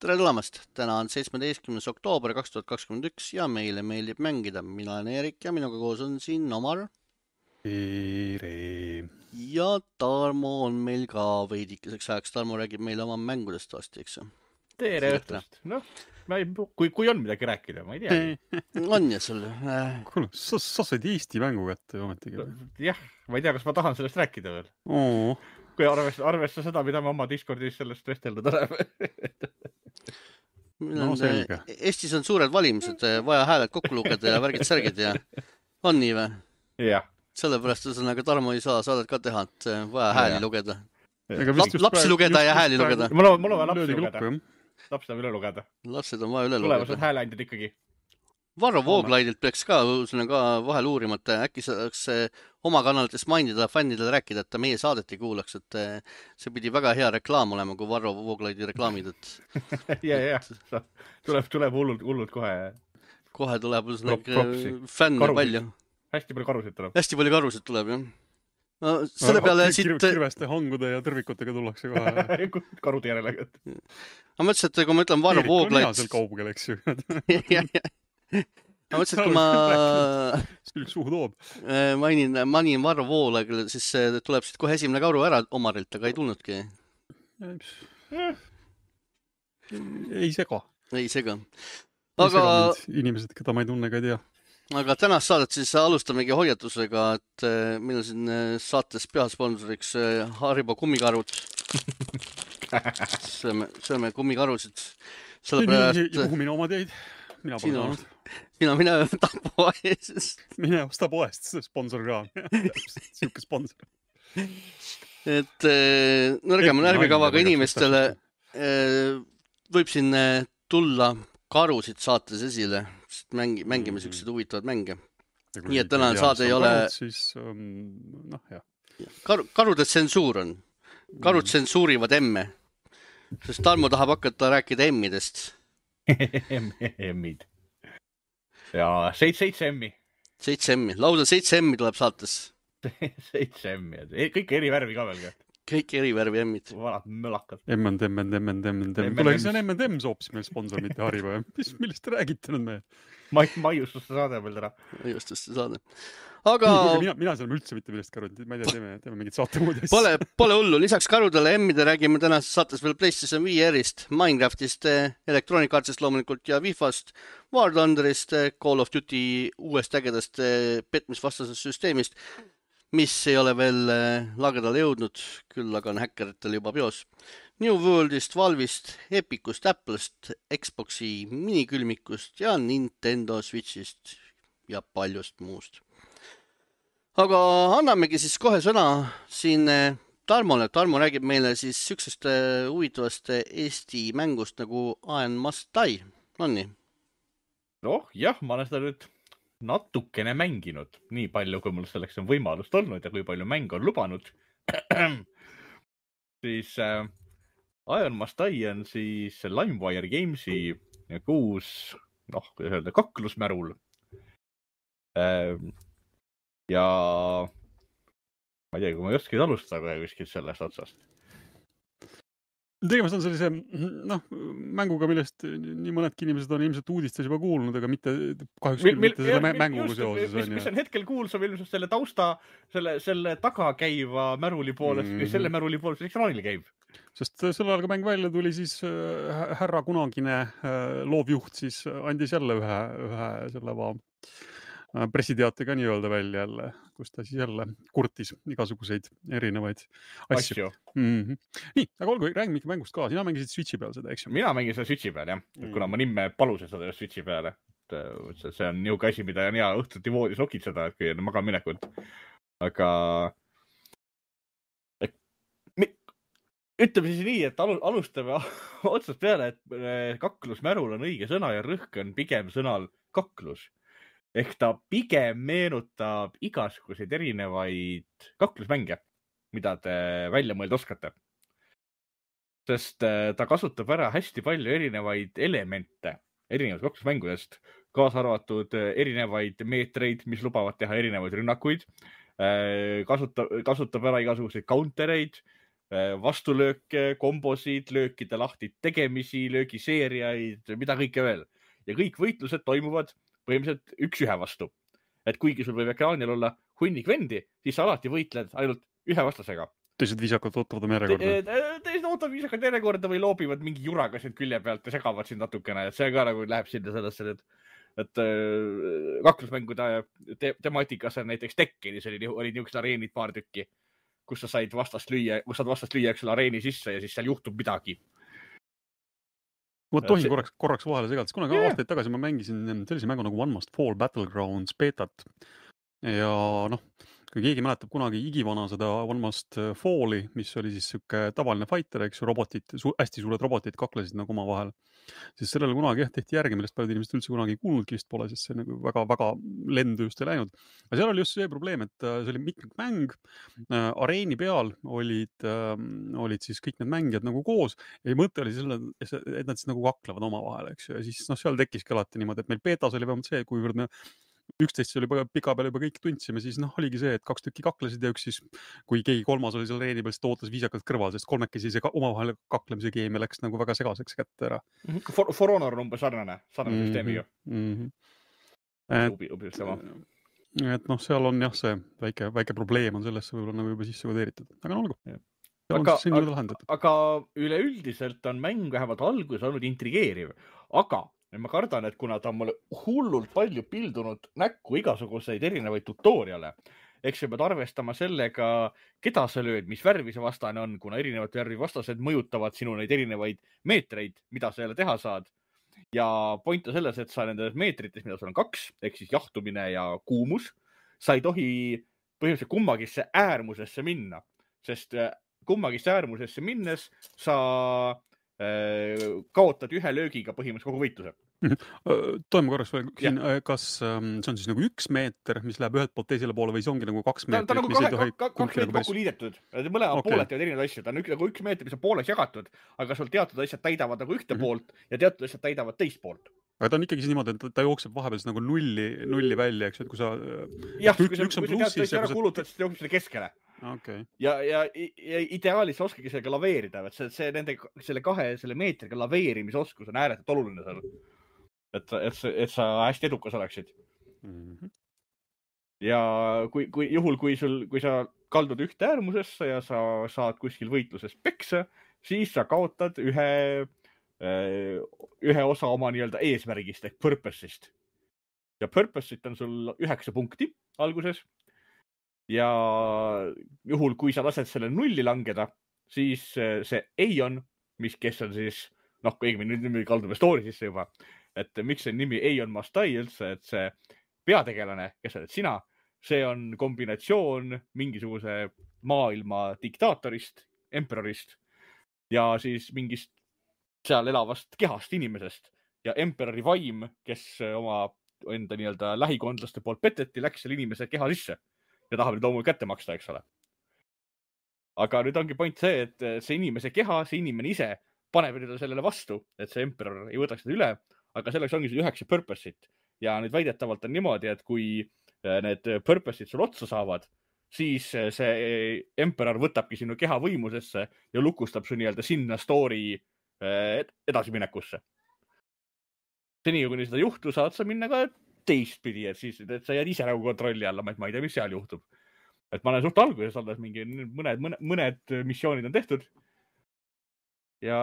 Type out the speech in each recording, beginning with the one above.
Tere tulemast! Täna on 17. oktoober 2021 ja meile meeldib mängida. Mina olen Erik ja minuga koos on siin Omar. Tere. Ja Tarmo on meil ka veidikeseks ajaks. Tarmo räägib meile oma mängudest vasti, eks ju? Tere õhtust. Noh, kui on midagi rääkida, ma ei tea. On ja sul? Kuule, sa said Eesti mängu kätte ometigi. Jah, ma ei tea, kas ma tahan sellest rääkida veel. Kui arvesta seda, mida me oma Discordis sellest vestelnud oleme. No selge. Eestis on suured valimised, vaja hääled kokku lugeda ja värgid-särgid ja on nii või? Jah. Sellepärast ühesõnaga Tarmo ei saa saadet ka teha, et vaja hääli lugeda. Lapsi lugeda ja hääli lugeda. Mul on vaja lapsi lugeda. Lapsi on üle lugeda. Lapsed on vaja üle lugeda. Tulevased hääleandjad ikkagi. Varro Vooglaidilt peaks ka vahel uurimata. Äkki saaks oma kanalites mainida fännidele rääkida, et ta meie saadet ei kuulaks. Et see pidi väga hea reklaam olema, kui Varro Vooglaidi reklaamid. Ja. Tuleb hullult kohe. Kohe tuleb fänne palju. Hästi palju karusid tuleb. Hästi palju karusid tuleb, jah. No, selle peale kirveste hangude ja tõrvikutega tullakse kohe. Karude järele. Ma mõtlesin, et kui ma ütlen Varro Vooglaid... Erik on hea seal kaugel, eks ju. Ma mõtlesin, et kui ma... Üks suhu toob. Manin Varro Vooglaid, siis tuleb siit kohe esimene karu ära Omarilt, aga ei tulnudki. Ei sega. Ei sega. Aga... Inimesed, keda ma ei tunne, ka ei tea. Aga tänast saadet siis alustamegi hoiatusega, et meil on siin saates peasponsoriks Haribo kummikarud. Sööme kummikarusid. Kuhu mine oma teid? Mina pole saanud. Mine võta poest. Mine osta poest, sponsor ka. Siuke sponsor. Et nõrgema närvikavaga inimestele võib siin tulla karusid saates esile. Mängime sellised huvitavad mänge. Nii et tänane saade ei ole... Karude tsensuur on. Karud tsensuurivad emme. Sest Tarmo tahab hakata rääkida emmidest. Emmid. Ja 7 emmi. 7 emmi. Lausa 7 emmi tuleb saates. 7 emmi. Kõik eri värvi ka veel ka. Kõik eri värvi emmid. Vanad mölakad. M&M. Tule, see on M&M soopis meil sponsor, mitte Haribo. Millest räägite nüüd me? Maiustuste saade veel täna. Maiustuste saade. Aga... Mina saame üldse mitte millest karud. Ma ei tea, teeme mingid saate muud asja. Pole hullu. Lisaks karudele emmide räägime tänases saates veel PlayStation VR-ist, Minecraftist, Electronic Artsist loomulikult ja Wifast, War Thunderist, Call of Duty uuest ägedast petmisvastasest süsteemist, mis ei ole veel lagedale jõudnud, küll aga on häkkeritel juba peos. New Worldist, Valve'ist, Epicust, Apple'st, Xboxi minikülmikust ja Nintendo Switchist ja paljust muust. Aga annamegi siis kohe sõna siin Tarmole. Tarmo räägib meile siis süksest huvitavast Eesti mängust nagu I Must Die. On nii? Noh, jah, ma olen seda nüüd natukene mänginud. Nii palju, kui mul selleks on võimalust olnud ja kui palju mäng on lubanud. Siis I Must Die on siis LimeWire Gamesi uus, kuidas öelda, kaklusmärul. Ja ma ei tea, kui ma ei oskagi alustada kuskilt sellest otsast. Tegemist on sellise mänguga, millest nii mõnedki inimesed on ilmselt uudistes juba kuulnud, aga mitte kahjuks mitte selle mänguga seoses. Mis on hetkel kuulsam ilmselt selle tausta, selle taga käiva märuli poolest, selle märuli poolest, mis ekraanil käib. Sest sel ajal, kui mäng välja tuli, siis härra kunagine loovjuht siis andis jälle ühe selle pressiteate ka nii öelda välja jälle, kus ta siis jälle kurtis igasuguseid erinevaid asju. Nii, aga olgu, räägime ikka mängust ka. Sina mängisid Switchi peal seda, eks ju? Mina mängin seda Switchi peal, jah. Kuna ma nimme palusin seda Switchi peale. See on niuke asi, mida on hea õhtuti voodis okitseda, et kui on magaminekud. Aga ütleme siis nii, et alustame otsast peale, et kaklusmärul on õige sõna ja rõhk on pigem sõnal kaklus. Ehk ta pigem meenutab igasuguseid erinevaid kaklusmänge, mida te välja mõelda oskate. Sest ta kasutab ära hästi palju erinevaid elemente erinevaid kaklusmängudest, kaasa arvatud erinevaid meetreid, mis lubavad teha erinevaid rünnakuid, kasutab ära igasuguseid countereid, vastulööke, kombosid, löökide lahti tegemisi, löögiseeriaid, mida kõike veel. Ja kõik võitlused toimuvad põhimõtteliselt 1-1 vastu. Et kuigi sul võib ekraanil olla hunnik vendi, siis sa alati võitled ainult ühe vastasega. Teised viisakalt ootavad oma järjekorda. Teised ootavad viisakalt järjekorda või loobivad mingi juraga sind külje pealt ja segavad sind natukene. Et see ka nagu läheb sinna sellesse, et kaklusmängude temaatikas on näiteks Tekkenis oli niisugused areenid paar tükki, kus sa saad vastast lüüa areeni sisse ja siis seal juhtub midagi. Ma tohin korraks vahele segada, sest kunagi aastaid tagasi ma mängisin sellise mängu nagu One Must Fall Battlegrounds betat. Ja kui keegi mäletab kunagi igivana seda One Must Falli, mis oli siis siuke tavaline fighter, eks robotid, hästi suured robotid kaklesid nagu oma vahel. Siis sellele kunagi tehti järgi, millest paljud inimesed üldse kunagi kuulnudki vist pole, sest see nagu väga lendu just ei läinud. Aga seal oli just see probleem, et see oli mitmikmäng. Areeni peal olid siis kõik need mängijad nagu koos ja mõte oli selle, et nad siis nagu kaklevad oma vahel, eks ju. Ja siis seal tekkiski alati niimoodi, et meil betas oli vähemalt see, kuivõrd me 11 oli pika peal juba kõik tundsime, siis oligi see, et 2 tükki kaklesid ja üks siis, kui keegi kolmas oli seal reeni peal, siis ta ootas viisakalt kõrval, sest kolmekesi see omavahel kaklemise keemia läks nagu väga segaseks kätte ära. For Honor on umbes sarnane süsteemiga. Et seal on jah, see väike probleem on sellesse võib-olla nagu juba sisse kodeeritud. Aga olgu. Aga üleüldiselt on mäng vähemalt alguses olnud intrigeeriv. Aga ma kardan, et kuna ta on mulle hullult palju pildunud näkku igasuguseid erinevaid tutoriale, eks sa pead arvestama sellega, keda sa lööd, mis värvi see vastane on, kuna erinevad värvi vastased mõjutavad sinu neid erinevaid meetreid, mida sa jälle teha saad. Ja point on selles, et sa nendes meetrites, mida sul on 2, ehk siis jahtumine ja kuumus, sa ei tohi põhimõtteliselt kummagisse äärmusesse minna, sest kummagisse äärmusesse minnes sa kaotad ühe löögiga põhimõtteliselt kogu võitluse. Toime korraks veel, kas see on siis nagu 1 meeter, mis läheb ühelt poolt teisele poole või see ongi nagu 2 meetrit? Ta on nagu 2 meetrit kokku liidetud. Mõlemad pooled teevad erinevaid asju. Ta on nagu 1 meetri, mis on pooleks jagatud, aga sul teatud asjad täidavad nagu ühte poolt ja teatud asjad täidavad teist poolt. Aga ta on ikkagi niimoodi, et ta jookseb vahepeal nagu nulli välja, eks, et kui sa... Jah, kui sa teatud asja ära kulutad, siis ta jookseb selle keskele. Okay. Ja ideaalis oskagi sellega laveerida, et selle meetriga laveerimise oskus on ääretult oluline seal. Et sa hästi edukas oleksid. Ja kui sa kaldud ühte äärmusesse ja sa saad kuskil võitluses peksa, siis sa kaotad ühe osa oma nii-öelda eesmärgist ehk purpose'ist. Ja purpose'it on sul 9 punkti alguses. Ja juhul, kui sa lased selle nulli langeda, siis see Aion, kes on siis, nüüd kaldume story sisse juba, et miks see nimi Aion Must Die üldse, et see peategelane, kes oled sina, see on kombinatsioon mingisuguse maailma diktaatorist, emperorist ja siis mingist seal elavast kehast inimesest ja emperori vaim, kes oma enda nii-öelda lähikondlaste poolt peteti, läks selle inimese keha sisse. Ja tahab nüüd loomulikult kätte maksta, eks ole. Aga nüüd ongi point see, et see inimese keha, see inimene ise paneb nüüd sellele vastu, et see emperor ei võtaks seda üle, aga selleks ongi see 9 purpose'it. Ja nüüd väidetavalt on niimoodi, et kui need purpose'id sul otsa saavad, siis see emperor võtabki sinu keha võimusesse ja lukustab su nii-öelda sinna story edasiminekusse. Seni, kui seda juhtu, saad sa minna ka teistpidi, et siis sa jääd ise nagu kontrolli alla, et ma ei tea, mis seal juhtub. Et ma olen suht alguses alles mingi mõned missioonid on tehtud. Ja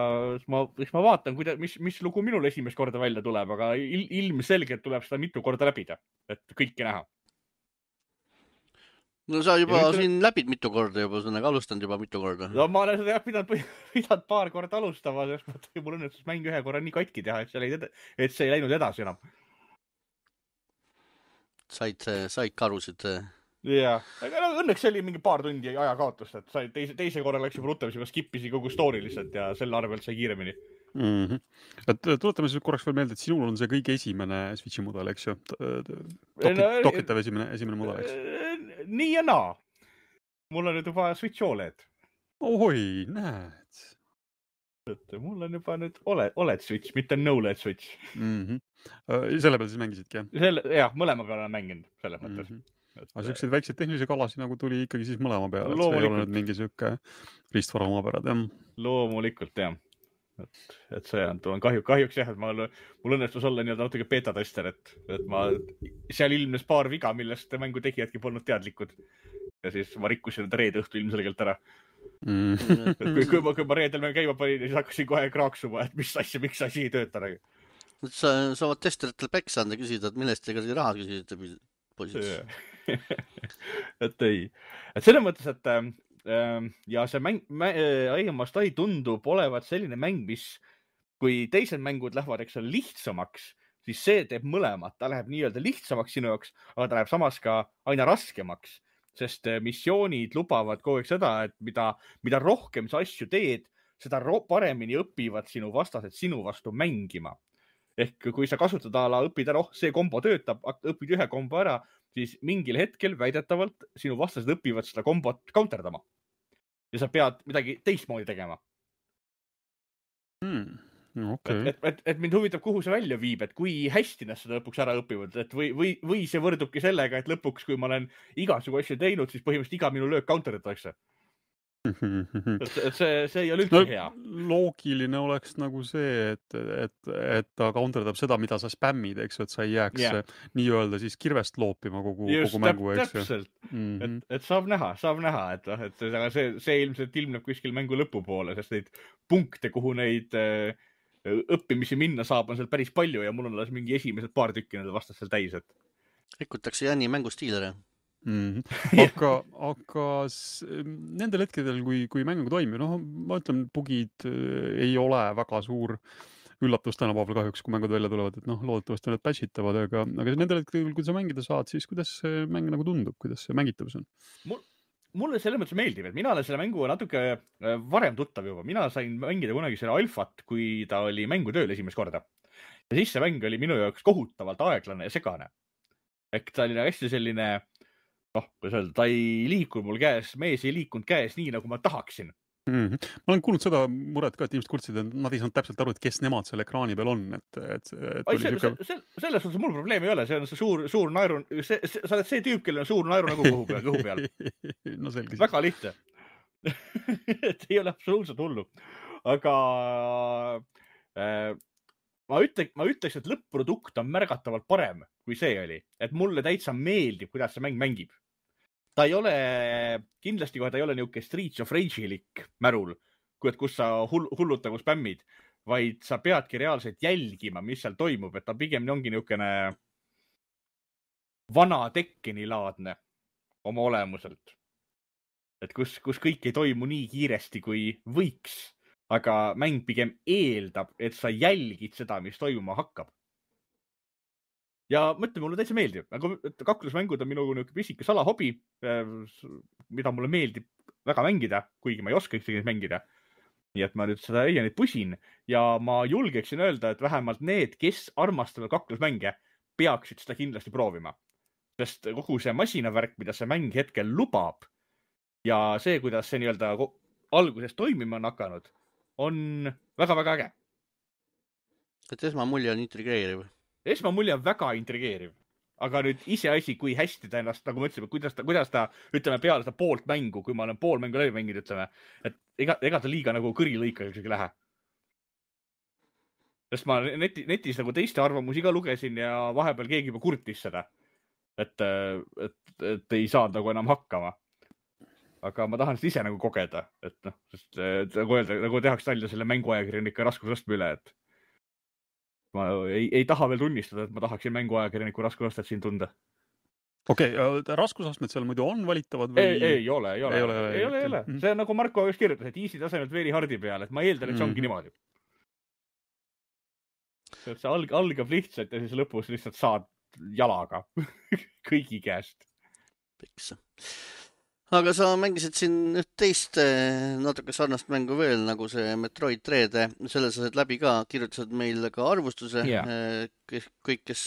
ma vaatan, mis lugu minul esimest korda välja tuleb, aga ilmselgelt tuleb seda mitu korda läbida, et kõike näha. No sa juba siin läbid mitu korda juba, sa alustanud juba mitu korda. No ma olen seda pidanud paar korda alustama, sest mul õnnestus mäng ühe korra nii katki teha, et see ei läinud edasi enam. Said karusid. Jah, aga õnneks oli mingi paar tundi ajakaotust, et teise korra läks juba rutem, siis skippisin kogu story lihtsalt ja selle arvelt sai kiiremini. Et tuletame siis korraks veel meelde, et sinul on see kõige esimene Switchi mudel, eks ju? Dokitav esimene mudel, eks? Nii ja naa. Mul on nüüd juba Switch OLED. Oi, näed. Mul on juba nüüd OLED Switch, mitte no-LED Switch. Selle peal siis mängisidki, jah? Jah, mõlema peal olen mänginud selles mõttes. Aga selliseid väikseid tehnilisi kalasid nagu tuli ikkagi siis mõlema peale, et see ei ole Loomulikult. nüüd mingi siuke riistvara omapärad, jah. Loomulikult, jah. Et see on kahjuks jah, et mul õnnestus olla nii-öelda natuke beta-tester, et ma seal ilmnes paar viga, millest mängu tegijadki polnud teadlikud. Ja siis ma rikkusin enda reede õhtu ilmselgelt ära. Et kui ma reedel käima panin, siis hakkasin kohe kraaksuma, et mis asja, miks asi ei tööta. Sa saavad testeritele peksa anda küsida, et millest te raha küsisite, poisid. Et ei. Et selles mõttes, et ja see mäng, Aiamast ei tundub olevat selline mäng, mis kui teised mängud lähevad, eks ole, lihtsamaks, siis see teeb mõlemat. Ta läheb nii-öelda lihtsamaks sinu jaoks, aga ta läheb samas ka aina raskemaks, sest missioonid lubavad kogu aeg seda, et mida rohkem sa asju teed, seda paremini õpivad sinu vastased sinu vastu mängima. Ehk kui sa kasutad õpid ära, see kombo töötab, õpid ühe kombo ära, siis mingil hetkel väidetavalt sinu vastased õpivad seda kombot counterdama. Ja sa pead midagi teistmoodi tegema. Okay. Et mind huvitab, kuhu see välja viib, et kui hästi nad seda lõpuks ära õpivad, et või see võrdubki sellega, et lõpuks, kui ma olen igasugu asju teinud, siis põhimõtteliselt iga minu löök counterdatakse. Et see ei ole üldse hea. Loogiline oleks nagu see, et ta counterdab seda, mida sa spämmid, eks, et sa ei jääks nii-öelda siis kirvest loopima kogu mängu, eks. Täpselt. Et saab näha, et see ilmselt ilmneb kuskil mängu lõpupoole, sest neid punkte, kuhu neid õppimisi minna saab, on seal päris palju ja mul on alles mingi esimesed paar tükki nende vastas seal täis, et rikutakse Jani mängustiilere. Aga nendel hetkedel, kui mäng toimib, ma ütlen, bugid ei ole väga suur üllatus tänapäeval kahjuks, kui mängud välja tulevad, et loodetavasti need patchitavad, aga nendel hetkedel, kui sa mängida saad, siis kuidas see mäng nagu tundub, kuidas see mängitavus on? Mulle selles mõttes meeldib, et mina olen selle mängu natuke varem tuttav juba. Mina sain mängida kunagi selle alfat, kui ta oli mängutööl esimest korda. Ja siis see mäng oli minu jaoks kohutavalt aeglane ja segane. Ehk ta oli hästi selline, kuidas öelda, ta ei liikunud mul käes, mees ei liikunud käes nii, nagu ma tahaksin. Ma olen kuulnud seda muret ka, et inimesed kurtsid, et nad ei saanud täpselt aru, et kes nemad selle ekraani peal on. Selles suhtes mul probleemi ei ole, see on see suur naeru, sa oled see tüüp, kellel on suur naeru nagu kõhu peal. No selge. Väga lihtne. Et ei ole absoluutselt hullu. Aga ma ütleks, et lõpp-produkt on märgatavalt parem, kui see oli. Et mulle täitsa meeldib, kuidas see mäng mängib. Ta ei ole, kindlasti kohe ta ei ole niuke Streets of Rage-ilik märul, kus sa hulluttagu spämmid, vaid sa peadki reaalselt jälgima, mis seal toimub, et ta pigem ongi niukene vana Tekkeni-laadne oma olemuselt. Et kus kõik ei toimu nii kiiresti, kui võiks, aga mäng pigem eeldab, et sa jälgid seda, mis toimuma hakkab. Ja mõtle, mulle täitsa meeldib. Kaklusmängud on minu pisike salahobi, mida mulle meeldib väga mängida, kuigi ma ei oska üksegi mängida. Nii et ma nüüd seda Aianit pusin ja ma julgeksin öelda, et vähemalt need, kes armastavad kaklusmänge, peaksid seda kindlasti proovima. Sest kogu see masinavärk, mida see mäng hetkel lubab ja see, kuidas see nii-öelda alguses toimima on hakanud, on väga-väga äge. Et esmamulje on intrigeeriv. Esmamulje on väga intrigeeriv, aga nüüd iseasi, kui hästi ta ennast, nagu ma ütlesin, kuidas ta, ütleme, peale seda poolt mängu, kui ma olen pool mängu läbi mänginud, ütleme, et ega ta liiga nagu kõrilõika ei lähe. Sest ma netis nagu teiste arvamusi ka lugesin ja vahepeal keegi juba kurtis seda, et ei saanud nagu enam hakkama. Aga ma tahan seda ise nagu kogeda, et sest nagu tehakse nalja selle mänguajakirjanika raskusastme üle, et ma ei taha veel tunnistada, et ma tahaksin mänguajakirjaniku raskusastet siin tunda. Okei, raskusastmed seal muidu on valitavad või? Ei ole. See on nagu Marko just kirjutas, et easy tasemelt very hardi peal, et ma eeldan, et see ongi niimoodi. See algab lihtsalt ja siis lõpus lihtsalt saad jalaga kõigi käest. Piksa. Aga sa mängisid siin teist natuke sarnast mängu veel, nagu see Metroid Dread. Selle sa said läbi ka, kirjutasid meil ka arvustuse. Kõik, kes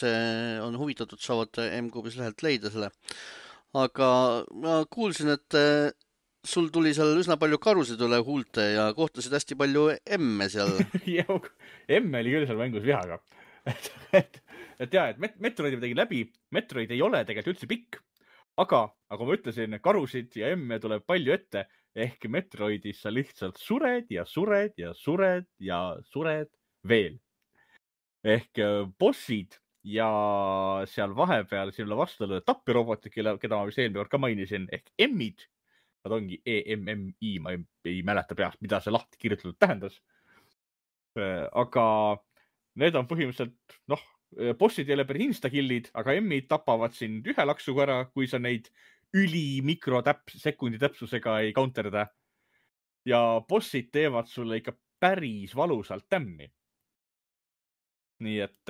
on huvitatud, saavad M-Kuubis lehelt leida selle. Aga ma kuulsin, et sul tuli seal üsna palju karusid üle huulte ja kohtasid hästi palju emme seal. Emme oli küll seal mängus vihaga. Et Metroidi ma tegin läbi. Metroid ei ole tegelikult üldse pikk. aga nagu ma ütlesin, karusid ja emme tuleb palju ette ehk Metroidis sa lihtsalt sured ja sured ja sured ja sured veel. Ehk bossid ja seal vahepeal sinule vastu löövad tappirobotid, keda ma vist eelmine kord ka mainisin, ehk emmid. Nad ongi EMMI, ma ei mäleta peast, mida see lahti kirjutatud tähendas. Aga need on põhimõtteliselt, bossid ei ole päris instakillid, aga emmid tapavad sind ühe laksuga ära, kui sa neid sekundi täpsusega ei counterda. Ja bossid teevad sulle ikka päris valusalt tämmi. Nii et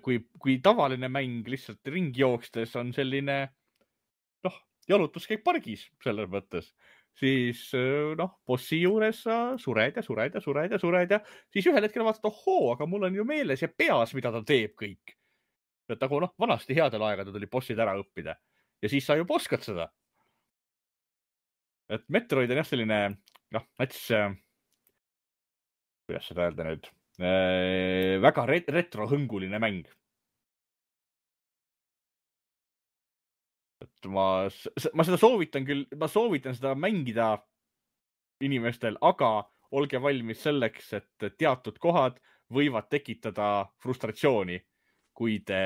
kui tavaline mäng lihtsalt ringi jookstes on selline, jalutuskäik pargis selles mõttes, siis bossi juures sa sured ja sured ja sured ja sured ja siis ühel hetkel vaatad, aga mul on ju meeles ja peas, mida ta teeb kõik. Et nagu vanasti headel aegadel tuli bossid ära õppida ja siis sa juba oskad seda. Et Metroid on jah selline, näiteks, kuidas seda öelda nüüd, väga retrohõnguline mäng. Et ma seda soovitan küll, ma soovitan seda mängida inimestel, aga olge valmis selleks, et teatud kohad võivad tekitada frustratsiooni, kui te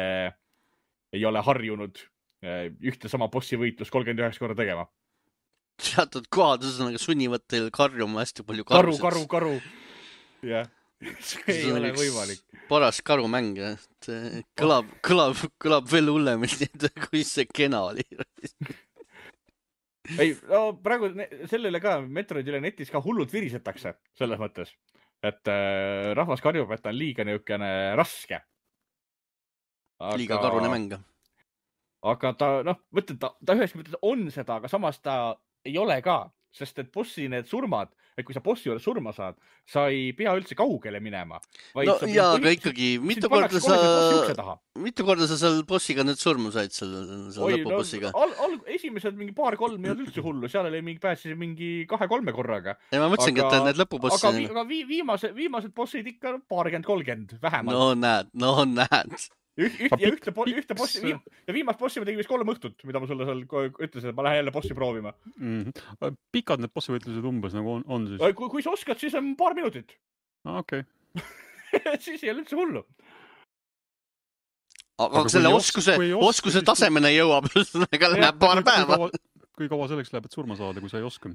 ei ole harjunud ühte sama bossi võitlust 39 korda tegema. Teatud kohad sunnivad teil karjuma hästi palju karusid. Karu. Jah, see ei ole võimalik. Paras karumäng, kõlab veel hullemalt, kui see kena oli. Ei, praegu selle üle ka, Metroid üle netis ka hullult virisetakse selles mõttes, et rahvas karjub, et ta on liiga niisugune raske. Liiga karune mäng. Aga ta ühes mõttes on seda, aga samas ta ei ole ka, sest et bossi need surmad, et kui sa bossi juures surma saad, sa ei pea üldse kaugele minema. Aga ikkagi, mitu korda sa seal bossiga nüüd surma said, seal lõpubossiga? Esimesed mingi 2-3 ei olnud üldse hullu, seal oli pääsis mingi 2-3 korraga. Ja ma mõtlesingi, et need lõpubossi... Aga viimased bossid ikka 20-30 vähemalt. No näed. Ühte bossi ja viimast bossi ma tegin vist 3 õhtut, mida ma sulle seal ütlesin, et ma lähen jälle bossi proovima. Pikad need bossi võitlused umbes nagu on siis? Kui sa oskad, siis on paar minutit. Okei. Siis ei ole üldse hullu. Aga selle oskuse tasemene jõuab, läheb paar päeva. Kui kaua selleks läheb, et surma saada, kui sa ei oska?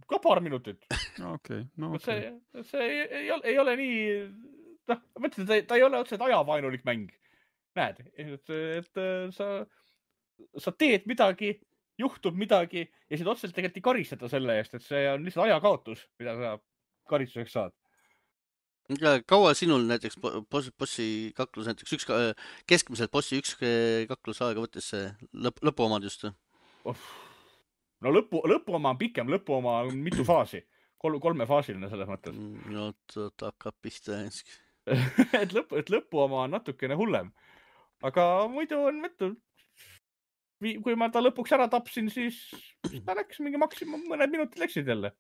Ka paar minutit. Okei. See ei ole nii... mõtlesin, ta ei ole otseselt ajavaenulik mäng. Näed, et sa teed midagi, juhtub midagi ja sind otseselt tegelikult ei karistata selle eest, et see on lihtsalt ajakaotus, mida sa karistuseks saad. Kaua sinul näiteks bossi kaklus, näiteks keskmiselt bossi üks kaklus aega võttes see lõpuomad just? No lõpuoma on pikem, lõpuoma on mitu faasi. 3-faasiline selles mõttes. No, hakkab pihta enski. Et lõpuoma on natukene hullem. Aga muidu on kui ma ta lõpuks ära tapsin, siis ta läks mingi maksimum mõned minutid läksid jälle.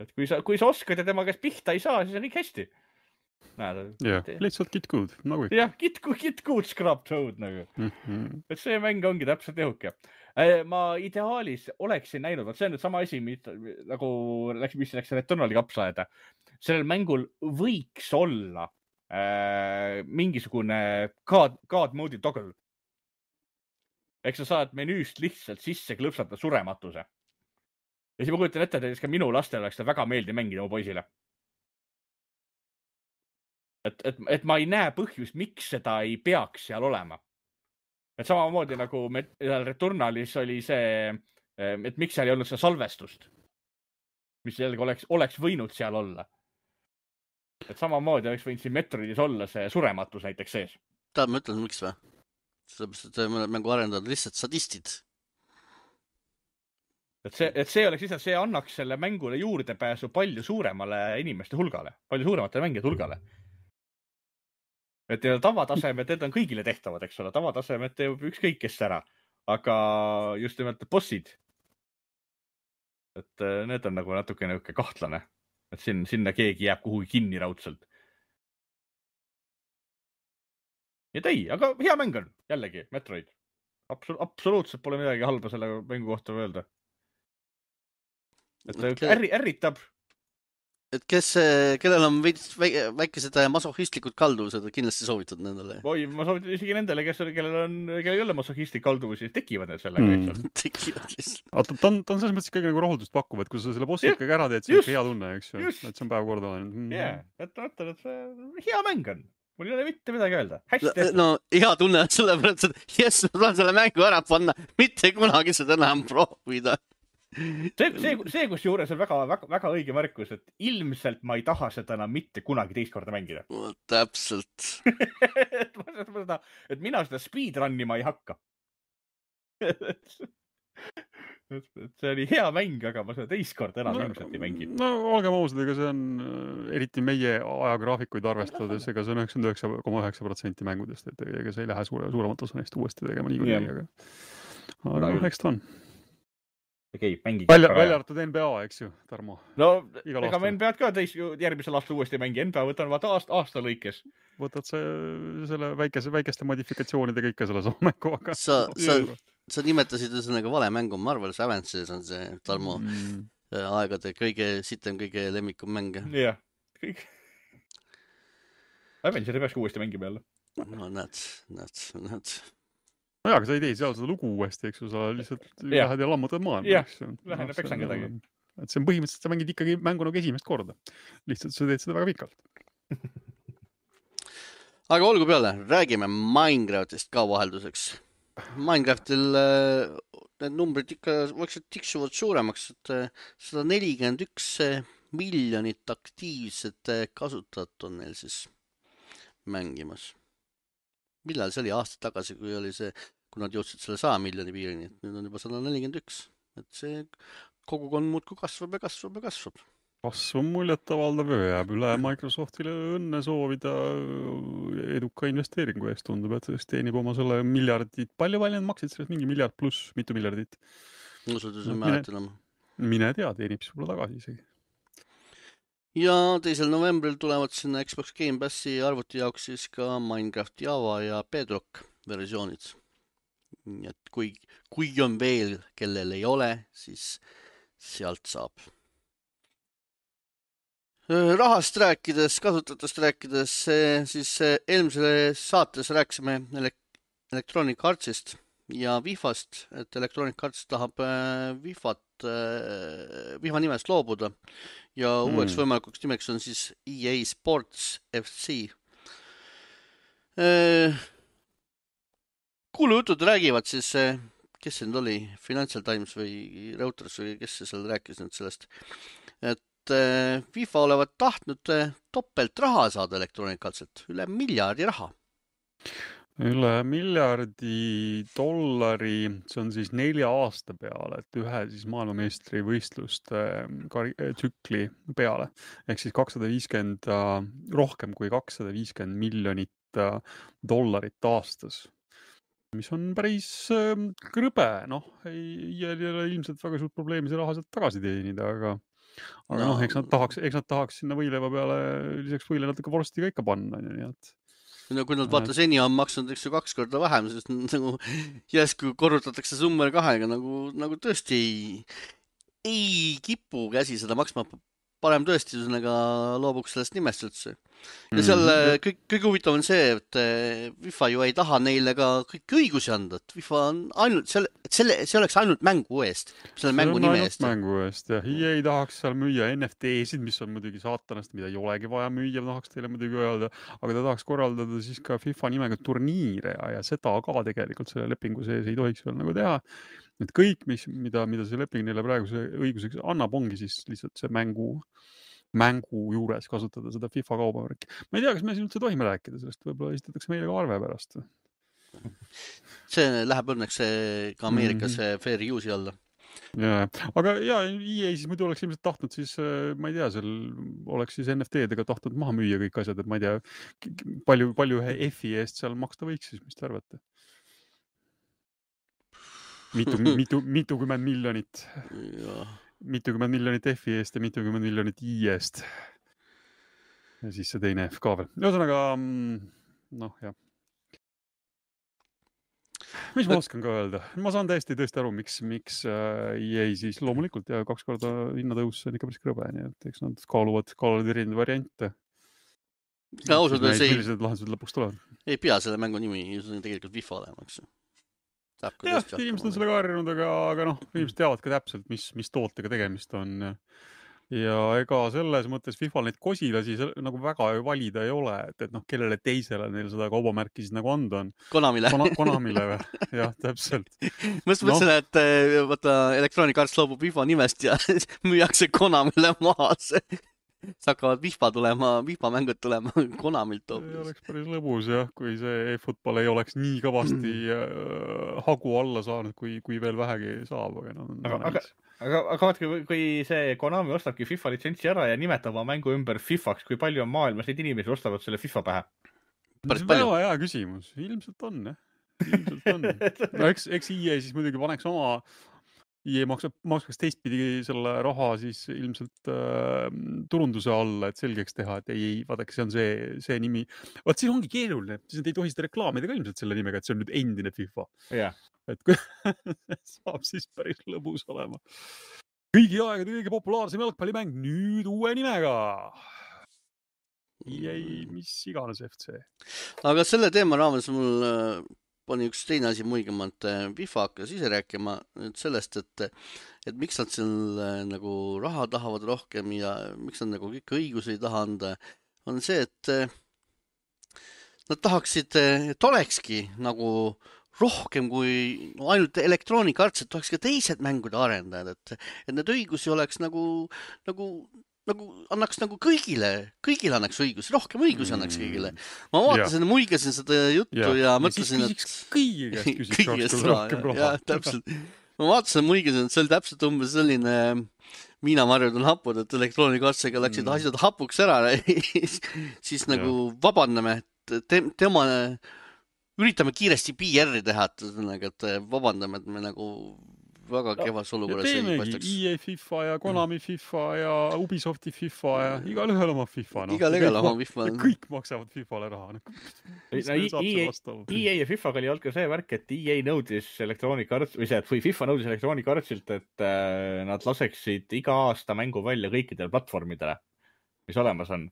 Et kui sa oskad ja tema käest pihta ei saa, siis on kõik hästi. Jah, lihtsalt get good. Jah, get good scrub toad nagu. Et see mäng ongi täpselt ehuke. Ma ideaalis oleksin näinud, see on nüüd sama asi, nagu mis läks Returnali kapsaaeda. Sellel mängul võiks olla mingisugune God mode'i toggle. Eks sa saad menüüst lihtsalt sisse klõpsata surematuse. Ja siis ma kujutan ette, et ka minu lastel oleks seda väga meeldi mängida mu poisile. Et ma ei näe põhjust, miks seda ei peaks seal olema. Et samamoodi nagu Returnalis oli see, et miks seal ei olnud seda salvestust, mis jällegi oleks võinud seal olla. Et samamoodi oleks võinud siin Metroidis olla see surematus näiteks sees. Ma ütlen, miks või? Sellepärast, et mängu arendajad lihtsalt sadistid. Et see oleks lihtsalt, see annaks selle mängule juurdepääsu palju suuremale inimeste hulgale, palju suurematele mängijate hulgale. Et tavatasemed, need on kõigile tehtavad, eks ole. Tavatasemed teeb ükskõik kes ära. Aga just nimelt bossid. Et need on nagu natuke kahtlane. Et sinna keegi jääb kuhugi kinni raudselt. et ei, aga hea mäng on jällegi Metroid. Absoluutselt pole midagi halba selle mängu kohta öelda. Et ärritab. Et kellel on väikesed masohhistlikud kalduvused, kindlasti soovitad nendele. Oi, ma soovitan isegi nendele, kellel ei ole masohhistlik kalduvusi, tekivad need sellega lihtsalt. Tekivad lihtsalt. Ta on selles mõttes ikkagi nagu rahuldust pakkuv, et kui sa selle bossi ikkagi ära teed, siis on hea tunne, eks ju. Et see on päev korda. Et mõtlen, et see hea mäng on. Mul ei ole mitte midagi öelda. Hästi. No hea tunne on sellepärast, et jess, ma saan selle mängu ära panna, mitte kunagi seda enam proovida. See kus juures on väga õige märkus, et ilmselt ma ei taha seda enam mitte kunagi teist korda mängida. Täpselt. et mina seda speedrunni ma ei hakka. see oli hea mäng, aga ma seda teist korda enam ilmselt ei mängi. No olgem ausad, ega see on eriti meie ajagraafikuid arvestades, ega see on 99,9% mängudest, et ega see ei lähe suuremat osa neist uuesti tegema niikuinii. Aga eks ta on. Okay, välja arvatud NBA, eks ju, Tarmo? No, ega ma NBA-d ka järgmisel aastal uuesti mängi. NBA võtan vaata aasta lõikes. Võtad selle väikeste modifikatsioonidega ikka selle sama mängu, aga... Sa nimetasid ühesõnaga vale mängu. Marvel's Avenges on see, Tarmo, aegade kõige sitem, kõige lemmikum mäng. Jah, kõik. Avengers ei peaks uuesti mängima jälle. No näed. No jaa, aga sa ei tee seal seda lugu uuesti, eks ju, sa lihtsalt lähed ja lammutad maailma. Jah, lähen ja peksan kedagi. Et see on põhimõtteliselt, sa mängid ikkagi mängu nagu esimest korda. Lihtsalt sa teed seda väga pikalt. Aga olgu peale, räägime Minecraftist ka vahelduseks. Minecraftil need numbrid ikka vaikselt tiksuvad suuremaks, et 141 miljonit aktiivset kasutajat on neil siis mängimas. Millal see oli aasta tagasi, kui oli see, kui nad jõudsid selle 100 miljoni piirini, et nüüd on juba 141. Et see kogukond muudkui kasvab ja kasvab ja kasvab. Kasv on muljet-avaldav ja jääb üle Microsoftile õnne soovida eduka investeeringu eest. Tundub, et teenib oma selle miljardit. Palju need maksid sellest mingi miljard pluss mitu miljardit? Mine tea, teenib sulle tagasi isegi. Ja 2. novembril tulevad sinna Xbox Game Passi arvuti jaoks siis ka Minecraft Java ja Bedrock versioonid. Et kui on veel, kellel ei ole, siis sealt saab. Rahast rääkides, kasutatust rääkides, siis eelmise saates rääkisime Electronic Artsist ja Vifast, et Electronic Arts tahab Vifa nimest loobuda ja uueks võimalikuks nimeks on siis EA Sports FC. Kuulujutud räägivad siis, kes see nüüd oli, Financial Times või Reuters või kes see seal rääkis nüüd sellest, et FIFA olevat tahtnud topelt raha saada Electronic Artsilt, üle miljardi raha. Üle miljardi dollari, see on siis 4 aasta peale, et ühe siis maailmameistri võistluste tsükli peale. Ehk siis 250, rohkem kui 250 miljonit dollarit aastas. Mis on päris krõbe, ei ole ilmselt väga suurt probleemi see raha sealt tagasi teenida, aga eks nad tahaks sinna võileiva peale lisaks võile natuke vorsti ka ikka panna. Nii et... kui nad vaata seni on maksnud 2 korda vähem, siis nagu järsku korrutatakse summa 2-ga, nagu tõesti ei kipu käsi seda maksma. Parem tõesti loobuks sellest nimest üldse. Ja seal kõige huvitav on see, et FIFA ju ei taha neile ka kõik õigusi anda, et FIFA on ainult, see oleks ainult mängu eest, selle mängu nime eest. Mängu eest, jah. EA ei tahaks seal müüa NFT-sid, mis on muidugi saatanast, mida ei olegi vaja müüa, tahaks teile muidugi öelda, aga ta tahaks korraldada siis ka FIFA nimega turniire ja seda ka tegelikult selle lepingu sees ei tohiks veel nagu teha. Et kõik, mida see leping neile praeguse õiguseks annab, ongi siis lihtsalt see mängu juures kasutada seda FIFA kaubamärki. Ma ei tea, kas me siin üldse tohime rääkida sellest, võib-olla esitatakse meile ka arve pärast. See läheb õnneks ka Ameerikas fair use'i alla. Ja, aga EA siis muidu oleks ilmselt tahtnud siis, ma ei tea, seal oleks siis NFT-dega tahtnud maha müüa kõik asjad, et ma ei tea, palju ühe F-i eest seal maksta võiks siis, mis te arvate? Mitukümmend miljonit. Mitukümmend miljonit F-i eest ja mitukümmend miljonit I eest. Ja siis see teine F ka veel. Ühesõnaga, jah. mis ma oskan ka öelda? Ma saan tõesti aru, miks EA siis loomulikult ja 2 korda hinnatõus on ikka päris krõbe, nii et eks nad kaaluvad erinevaid variante. Ausalt öeldes millised lahendused lõpuks tulevad? Ei pea selle mängu nimi tegelikult FIFA olema, eks. Jah, inimesed on sellega harjunud, aga noh, inimesed teavad ka täpselt, mis tootega tegemist on. Ja ega selles mõttes FIFA neid kosilasi nagu väga valida ei ole, et noh, kellele teisele neil seda kaubamärki siis nagu anda on. Konamile. Konamile või? Jah, täpselt. Mõtlesin, et vaata Electronic Arts loobub FIFA nimest ja müüakse Konamile maha. Hakkavad FIFA mängud tulema Konamilt hoopis. See oleks päris lõbus jah, kui see e-football ei oleks nii kõvasti hagu alla saanud, kui veel vähegi saab. Aga vaatke, kui see Konami ostabki FIFA litsentsi ära ja nimetab oma mängu ümber FIFAks, kui palju on maailmas neid inimesi ostavad selle FIFA pähe? Väga hea küsimus. Ilmselt on, jah. Ilmselt on. No eks EA siis muidugi paneks oma EA maksaks teistpidi selle raha siis ilmselt turunduse alla, et selgeks teha, et ei, vaadake, see on see nimi. Vaat siin ongi keeruline, siis nad ei tohi seda reklaamida ka ilmselt selle nimega, et see on nüüd endine FIFA. Yeah. Et kui saab siis päris lõbus olema. Kõigi aegade kõige populaarsem jalgpallimäng nüüd uue nimega. EA, mis iganes FC. Aga selle teema raames mul pani üks teine asi muigemalt. FIFA hakkas ise rääkima sellest, et miks nad seal nagu raha tahavad rohkem ja miks nad nagu kõik õigusi ei taha anda, on see, et nad tahaksid, et olekski nagu rohkem kui ainult Electronic Arts, et oleks ka teised mängude arendajad, et need õigusi oleks nagu annaks nagu kõigile annaks õigusi, rohkem õigusi annaks kõigile. Ma vaatasin, muigasin seda juttu ja mõtlesin, et kõigest rohkem raha. Jah, täpselt. Ma vaatasin, muigasin, et see oli täpselt umbes selline miinamarjud on hapud, et Electronic Artsiga läksid asjad hapuks ära, siis nagu vabandame, et tema üritame kiiresti PR-i teha, et vabandame, et me nagu väga kevas olukorras ei paistaks. EA FIFA ja Konami FIFA ja Ubisofti FIFA ja igal ühel oma FIFA. Igal oma FIFA. Kõik maksavad FIFA-le raha. EA ja FIFA oli olnud ka see värk, et EA nõudis Electronic Arts, või FIFA nõudis Electronic Artsilt, et nad laseksid iga aasta mängu välja kõikidele platvormidele, mis olemas on.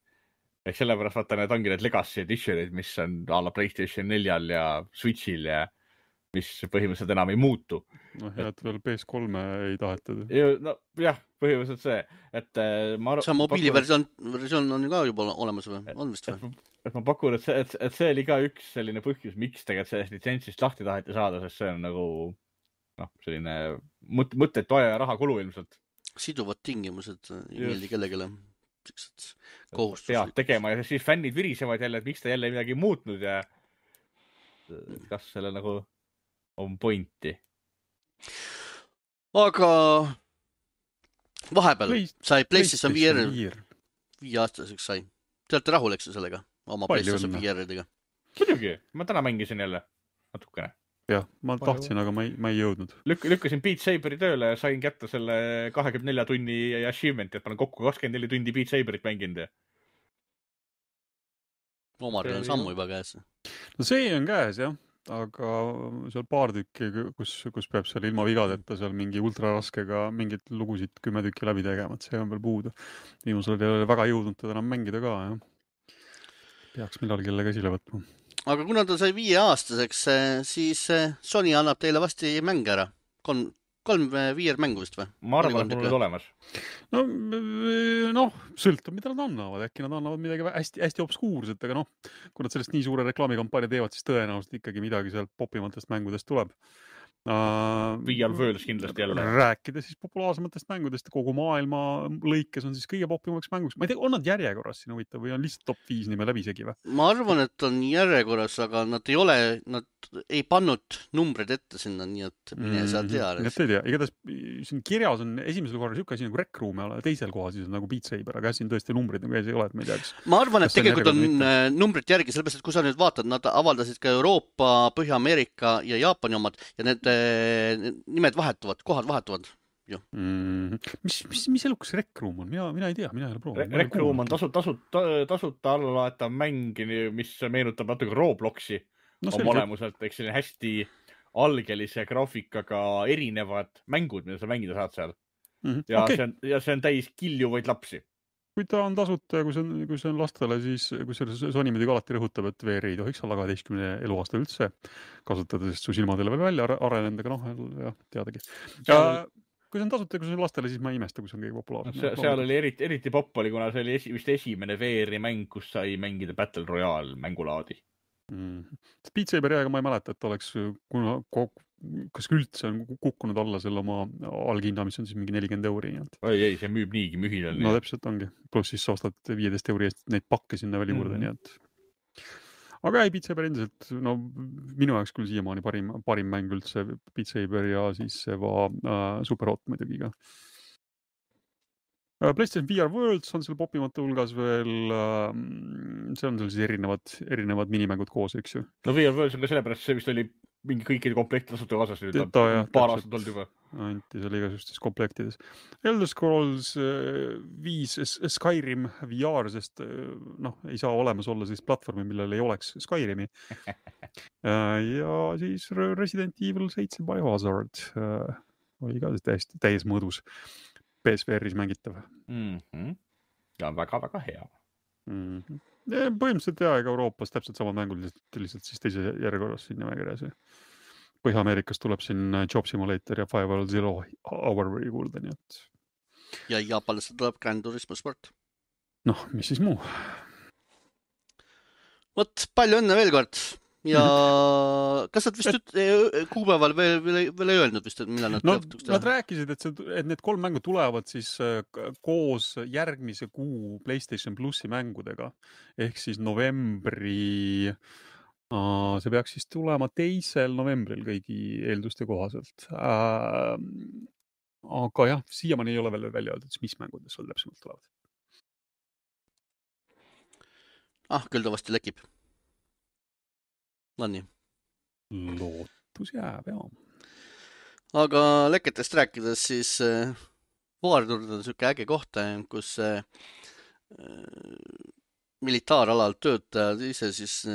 Ehk sellepärast vaata, need ongi need Legacy Editionid, mis on a la PlayStation 4 ja Switchil ja mis põhimõtteliselt enam ei muutu. Noh, ja et veel PS3 ei tahetud. No jah, põhimõtteliselt see, et see mobiiliversioon on ju ka juba olemas või? On vist või? Et ma pakun, et see oli ka üks selline põhjus, miks tegelikult sellest litsentsist lahti taheti saada, sest see on nagu selline mõttetu aja ja raha kulu ilmselt. Siduvad tingimused ei meeldi kellegile. Pead tegema ja siis fännid virisevad jälle, et miks ta jälle midagi muutnud ja kas selle nagu on pointi. Aga vahepeal sai PlayStation VR 5 aastaseks sai. Te olete rahul, eks sellega? Oma PlayStation VR-idega? Muidugi, ma täna mängisin jälle natukene. Jah, ma tahtsin, aga ma ei jõudnud. Lükkasin Beat Saberi tööle ja sain kätte selle 24 tunni achievementi, et ma olen kokku 24 tundi Beat Saberit mänginud. Omaril on sammu juba käes. No see on käes, jah. Aga seal paar tükki, kus peab seal ilma vigadeta seal mingi ultraraskega mingid lugusid 10 tükki läbi tegema, et see on veel puudu. Viimusel ei ole väga jõudnud teda enam mängida ka, jah. Peaks millal kelle käsile võtma. Aga kuna ta sai 5 aastaseks, siis Sony annab teile vasti mäng ära. 3 VR-mängu vist või? Ma arvan, et mul on olemas. No, sõltub, mida nad annavad. Äkki nad annavad midagi hästi obskuurset, aga kui nad sellest nii suure reklaamikampaania teevad, siis tõenäoliselt ikkagi midagi sealt popimatest mängudest tuleb. VR Worlds kindlasti jälle. Rääkida siis populaarsematest mängudest kogu maailma lõikes on siis kõige popimaks mänguks. Ma ei tea, on nad järjekorras siin huvitav või on lihtsalt top 5 nime läbisegi või? Ma arvan, et on järjekorras, aga nad ei pannud numbreid ette sinna, nii et mine saa teada. Nii et ei tea. Igatahes siin kirjas on esimesel korral siuke asi nagu Rec Room ja teisel kohal siis on nagu Beat Saber, aga siin tõesti numbrid nagu ei ole, et ma ei tea, kas. Ma arvan, et tegelikult on numbrid järgi, sellepärast, et kui sa nüüd vaatad, nad avaldasid ka Euroopa, Põhja-Ameerika ja Jaapani omad ja need nimed vahetuvad, kohad vahetuvad. Mis elukas Rec Room on? Mina ei tea, mina ei ole proovinud. Rec Room on tasuta allalaetav mäng, mis meenutab natuke Robloxi oma olemuselt, eks selline hästi algelise graafikaga erinevad mängud, mida sa mängida saad seal. Ja Okay. see on täis kiljuvaid lapsi. Kui ta on tasuta ja kui see on lastele, siis kui Sony muidugi alati rõhutab, et VR ei tohiks olla 12 eluaasta üldse kasutada, sest su silmadele veel välja arenenud, aga jah, teadagi. Kui see on tasuta ja kui see on lastele, siis ma ei imesta, kui see on kõige populaarsem. Seal oli eriti popp oli, kuna see oli vist esimene VR-i mäng, kus sai mängida Battle Royale mängulaadi. Beat Saberi aega ma ei mäleta, et oleks kas üldse on kukkunud alla selle oma alghinna, mis on siis mingi 40 €. Ei, see müüb niigi mühinal. No täpselt ongi. Plus siis sa ostad 15 € eest neid pakke sinna veel juurde, nii et. Aga ei, Beat Saber endiselt, no minu jaoks küll siiamaani parim mäng üldse Beat Saber ja siis Superhot muidugi ka. PlayStation VR Worlds on seal popimate hulgas veel, see on seal siis erinevad minimängud koos, eks ju. No VR Worlds on ka sellepärast, see vist oli mingi kõikide komplekti tasuta kaasas, paar aastat olnud juba. Anti seal igasugustes komplektides. Elder Scrolls 5 Skyrim VR, sest ei saa olemas olla siis platvormi, millel ei oleks Skyrimi. Ja siis Resident Evil 7 Biohazard oli ka täies mõõdus PSVR-is mängitav. Ja väga-väga hea. Põhimõtteliselt ega Euroopas täpselt sama mängud, lihtsalt siis teise järjekorras siin nimekirjas. Põhja-Ameerikas tuleb siin Job Simulator ja 5 Zero Hour juurde, nii et. Ja Jaapanisse tuleb Gran Turismo Sport. Mis siis muu? Vot, palju õnne veel kord. Ja kas nad vist kuupäeval veel ei öelnud vist, et millal nad lõpuks teha? Nad rääkisid, et need 3 mängu tulevad siis koos järgmise kuu PlayStation Plusi mängudega. Ehk siis novembri, see peaks siis tulema 2. novembril kõigi eelduste kohaselt. Aga jah, siiamaani ei ole veel välja öeldud, mis mängudes seal täpsemalt tulevad. Küll ta vasti lekib. Nii. Lootus jääb, jah. Aga leketest rääkides, siis Waardurd on selline äge koht, kus militaaralal töötajad, ise siis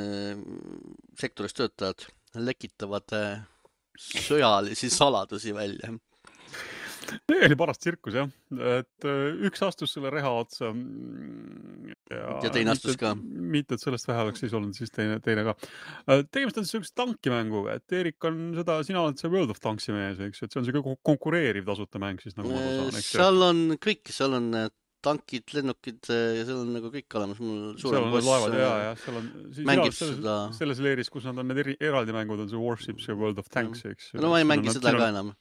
sektoris töötajad lekitavad sõjalisi saladusi välja. Oli paras tsirkus, jah. Et üks astus selle reha otsa. Ja teine astus ka. Mitte, et sellest vähe oleks siis olnud, siis teine ka. Tegemist on sellise tankimänguga, et Erik on seda, sina oled see World of Tanksi mees, eks, et see on selline konkureeriv tasuta mäng siis, nagu ma saan, eks. Seal on kõik, seal on tankid, lennukid ja seal on nagu kõik olemas. Seal on need laevad, ja seal on mängib seda. Selles leeris, kus nad on need eraldi mängud, on see Warships ja World of Tanks, eks. No ma ei mängi seda ka enam.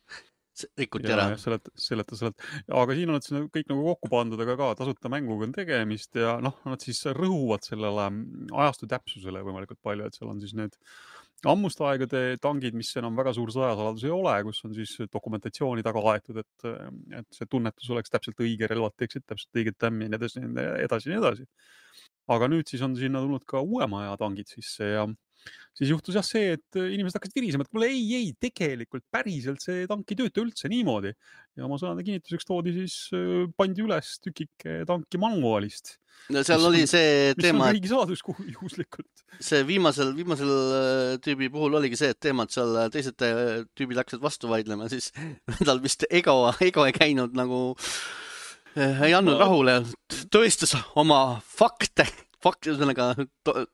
Rikuti ära. Seleta. Aga siin on nad kõik nagu kokku pandud, aga ka tasuta mänguga on tegemist ja nad siis rõhuvad sellele ajastu täpsusele võimalikult palju, et seal on siis need ammuste aegade tangid, mis enam väga suur sõjasaladus ei ole, kus on siis dokumentatsiooni taga aetud, et see tunnetus oleks täpselt õige, relvad teeksid täpselt õiget tämmi ja edasi. Aga nüüd siis on sinna tulnud ka uuema aja tangid sisse ja siis juhtus jah see, et inimesed hakkasid virisema, et mulle ei, tegelikult päriselt see tank ei tööta üldse niimoodi. Ja oma sõnade kinnituseks pandi üles tükike tanki manuaalist. No seal oli see teema, mis on riigi saladus juhuslikult. See viimasel tüübi puhul oligi see, et teema, et seal teised tüübid hakkasid vastu vaidlema, siis tal vist ego ei käinud nagu, ei andnud rahule, tõestas oma fakte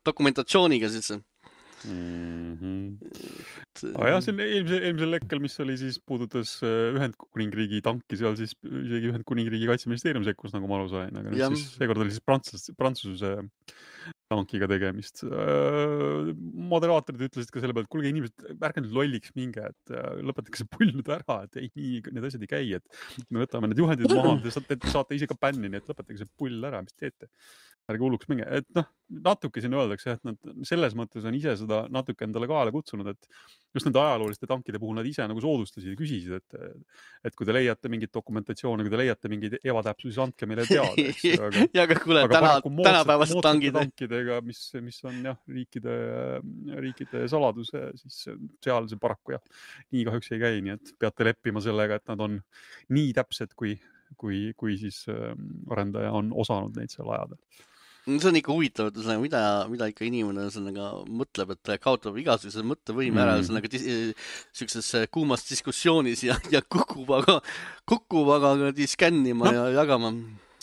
dokumentatsiooniga siis. Jah, see on eelmisel lekkel, mis oli siis puudutas Ühendkuningriigi tanki, seal siis isegi Ühendkuningriigi kaitseministeerium sekkus, nagu ma aru sain, aga siis seekord oli siis Prantsuse tankiga tegemist. Moderaatorid ütlesid ka selle pealt, et kuulge inimesed, ärge nüüd lolliks minge, et lõpetage see pull nüüd ära, et nii, need asjad ei käi, et me võtame need juhendid maha, te saate ise ka bänni, nii et lõpetage see pull ära, mis teete. Ärge hulluks minge, et natuke siin öeldakse, et nad selles mõttes on ise seda natuke endale kaela kutsunud, et just nende ajalooliste tankide puhul nad ise nagu soodustasid ja küsisid, et kui te leiate mingit dokumentatsiooni, kui te leiate mingeid ebatäpsusi, siis andke meile teada. Ja aga kuule, tänapäevast tankidega, mis on jah, riikide saladuse, siis seal see paraku jah, nii kahjuks ei käi, nii et peate leppima sellega, et nad on nii täpsed, kui siis arendaja on osanud neid seal ajada. See on ikka huvitav, et mida ikka inimene mõtleb, et kaotab igasuguse mõttevõime ära siukses kuumas diskussioonis ja kukub aga skännima ja jagama.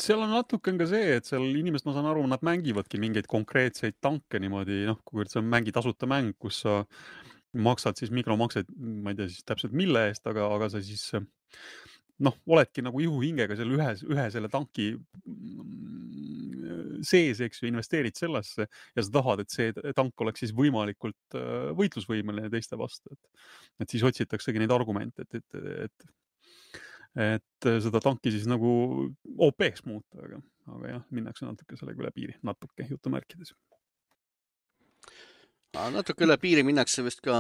Seal on natuke ka see, et seal inimesed, ma saan aru, nad mängivadki mingeid konkreetseid tanke niimoodi, kui see on tasuta mäng, kus sa maksad siis mikromakseid, ma ei tea siis täpselt mille eest, aga sa siis oledki nagu ihuhingega seal ühe selle tanki sees, eks ju, investeerid sellesse ja sa tahad, et see tank oleks siis võimalikult võitlusvõimeline teiste vastu. Et siis otsitaksegi neid argumente, et seda tanki siis nagu OP-ks muuta, aga jah, minnakse natuke sellega üle piiri, natuke jutumärkides. Natuke üle piiri minnakse vist ka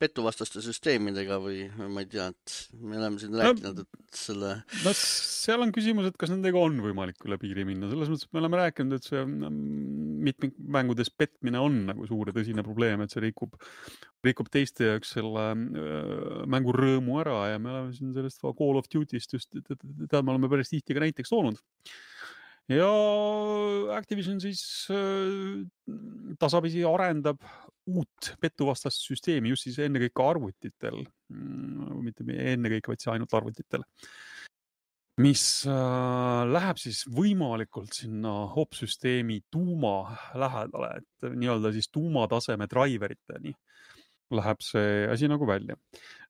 petuvastaste süsteemidega või ma ei tea, et me oleme siin rääkinud, et selle... seal on küsimus, et kas nendega on võimalik üle piiri minna. Selles mõttes, et me oleme rääkinud, et see mitmikmängudes petmine on nagu suur ja tõsine probleem, et see rikub teiste jaoks selle mängu rõõmu ära ja me oleme siin sellest Call of Duty'st just, me oleme päris tihti ka näiteks toonud. Ja Activision siis tasapisi arendab uut petuvastast süsteemi just siis ennekõike arvutitel, mitte ennekõike, vaid see ainult arvutitel, mis läheb siis võimalikult sinna HOP-süsteemi tuuma lähedale, et nii-öelda siis tuumataseme driveriteni läheb see asi nagu välja.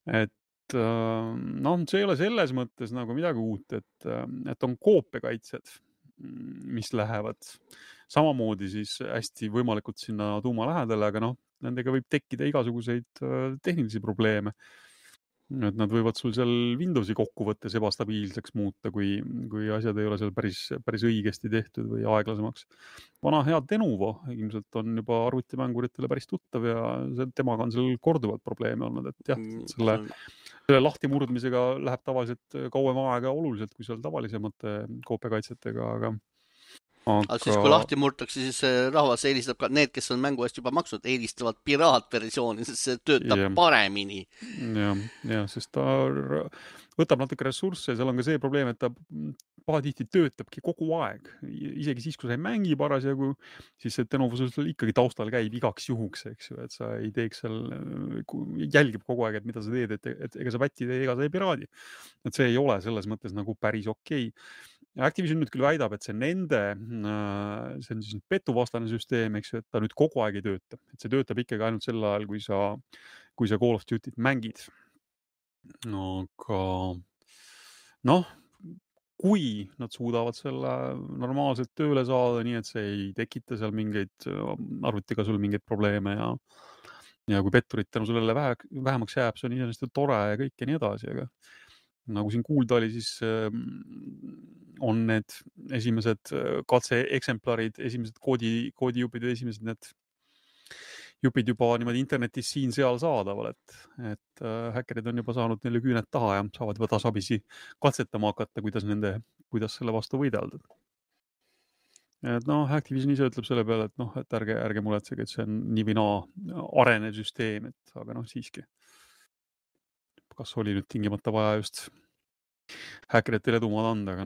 Et see ei ole selles mõttes nagu midagi uut, et on koopiakaitsed, mis lähevad samamoodi siis hästi võimalikult sinna tuuma lähedale, aga nendega võib tekkida igasuguseid tehnilisi probleeme. Et nad võivad sul seal Windowsi kokkuvõttes ebastabiilseks muuta, kui asjad ei ole seal päris õigesti tehtud või aeglasemaks. Vana hea Denuvo ilmselt on juba arvutimänguritele päris tuttav ja temaga on seal korduvalt probleeme olnud, et jah, selle lahtimurdmisega läheb tavaliselt kauem aega oluliselt kui seal tavalisemate koopiakaitsetega, aga siis kui lahti murtakse, siis rahvas eelistab ka need, kes on mängu eest juba maksnud, eelistavad piraatversiooni, sest see töötab paremini. Ja, sest ta võtab natuke ressursse, seal on ka see probleem, et ta pahatihti töötabki kogu aeg. Isegi siis, kui sa ei mängi parasjagu, siis see Denuvosus ikkagi taustal käib igaks juhuks, eks ju, et sa ei teeks seal, jälgib kogu aeg, et mida sa teed, et ega sa pätti tee, ega sa ei piraadi. Et see ei ole selles mõttes nagu päris okei. Activision nüüd küll väidab, et see on siis petuvastane süsteem, eks ju, et ta nüüd kogu aeg ei tööta. Et see töötab ikkagi ainult sel ajal, kui sa Call of Duty't mängid. Aga kui nad suudavad selle normaalselt tööle saada, nii et see ei tekita seal arvutiga sul mingeid probleeme ja kui petturit tänu sellele vähemaks jääb, see on iseenesest tore ja kõik ja nii edasi, aga nagu siin kuulda oli, siis on need esimesed katseeksemplarid, esimesed koodijupid ja esimesed need jupid juba niimoodi internetis siin-seal saadaval, et häkkerid on juba saanud neile küüned taha ja saavad juba tasapisi katsetama hakata, kuidas selle vastu võidelda. Et Activision ise ütleb selle peale, et ärge muretsege, et see on nii või naa arenev süsteem, aga siiski. Kas oli nüüd tingimata vaja just häkkeritele edumaad anda, aga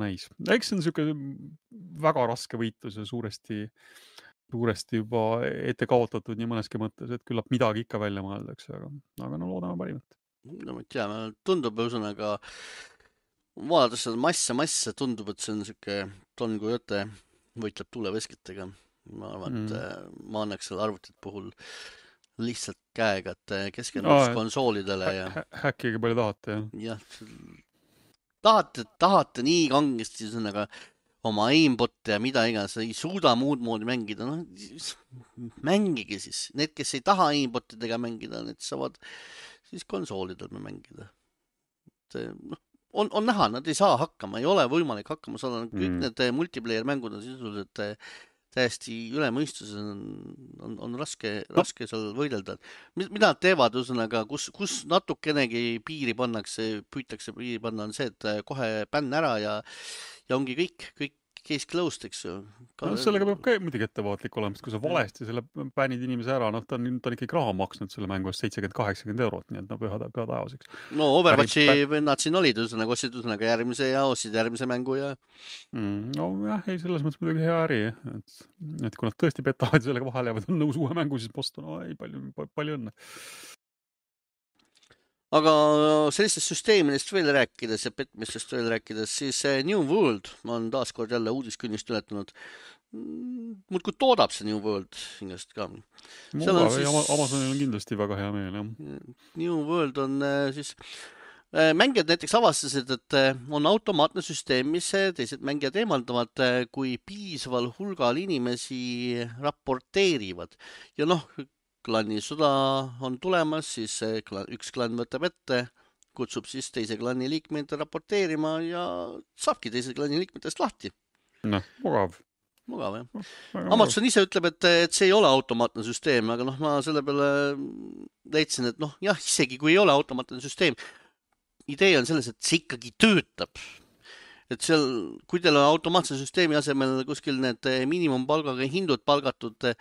näis. Eks see on niisugune väga raske võitlus ja suuresti juba ette kaotatud nii mõneski mõttes, et küllap midagi ikka välja mõeldakse, aga loodame parimat. Ma ei tea, tundub ühesõnaga, vaadates seda massa, tundub, et see on niisugune Don Quixote võitleb tuuleveskitega. Ma arvan, et ma annaks selle arvutit puhul lihtsalt käega, et keskenduks konsoolidele ja... Häkkige palju tahate, jah? Jah, tahate nii kangesti ühesõnaga oma aimbotte ja mida iganes, ei suuda muud moodi mängida, mängige siis. Need, kes ei taha aimbottidega mängida, need saavad siis konsoolidel mängida. On näha, nad ei saa hakkama, ei ole võimalik hakkama saada. Kõik need multiplayer mängud on sisuliselt täiesti üle mõistuse, on raske seal võidelda. Mida nad teevad, ühesõnaga, kus natukenegi piiri pannakse, püütakse piiri panna, on see, et kohe bänn ära ja ongi kõik case closed, eks ju. No, sellega peab ka muidugi ettevaatlik olema, sest kui sa valesti selle bännid inimese ära, ta on ikkagi raha maksnud selle mängu eest 70-80 €, nii et püha taevaseks. No Overwatchi vennad siin olid, ostsid järgmise ja ostsid järgmise mängu ja... No jah, ei, selles mõttes muidugi hea äri, et kui nad tõesti petavad sellega vahele ja on nõus uue mängu, siis postu, no ei, palju õnne. Aga sellistest süsteemidest veel rääkides ja petmistest veel rääkides, siis New World on taaskord jälle uudiskünnist ületanud. Muudkui toodab see New World hingest ka. Amazonil on kindlasti väga hea meel, jah. New World on siis... Mängijad näiteks avastasid, et on automaatne süsteem, mis teised mängijad eemaldavad, kui piisaval hulgal inimesi raporteerivad. Ja klanni sõda on tulemas, siis üks klann võtab ette, kutsub siis teise klanni liikmeid raporteerima ja saabki teise klanni liikmetest lahti. Mugav. Mugav, jah. Amazon ise ütleb, et see ei ole automaatne süsteem, aga ma selle peale leidsin, et jah, isegi kui ei ole automaatne süsteem, idee on selles, et see ikkagi töötab. Et seal, kui teil on automaatse süsteemi asemel kuskil need miinimumpalgaga hindud palgatud,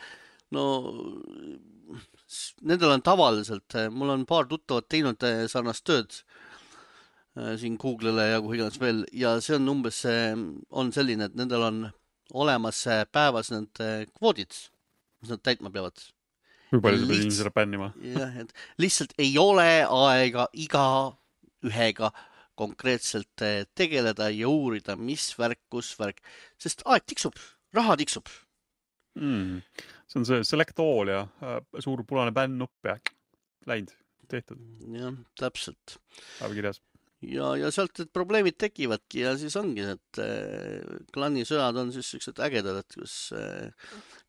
nendel on tavaliselt, mul on paar tuttavat teinud sarnast tööd siin Google'le ja kuhu iganes veel ja see on umbes on selline, et nendel on olemas päevas need kvoodid, mis nad täitma peavad. Kui palju sa pead inimesele bännima? Jah, et lihtsalt ei ole aega iga ühega konkreetselt tegeleda ja uurida, mis värk, kus värk, sest aeg tiksub, raha tiksub. See on see select all ja suur punane bänn-nupp ja läinud, tehtud. Jah, täpselt. Päeva kirjas. Ja sealt need probleemid tekivadki ja siis ongi, et klannisõjad on siis sellised ägedad, et kus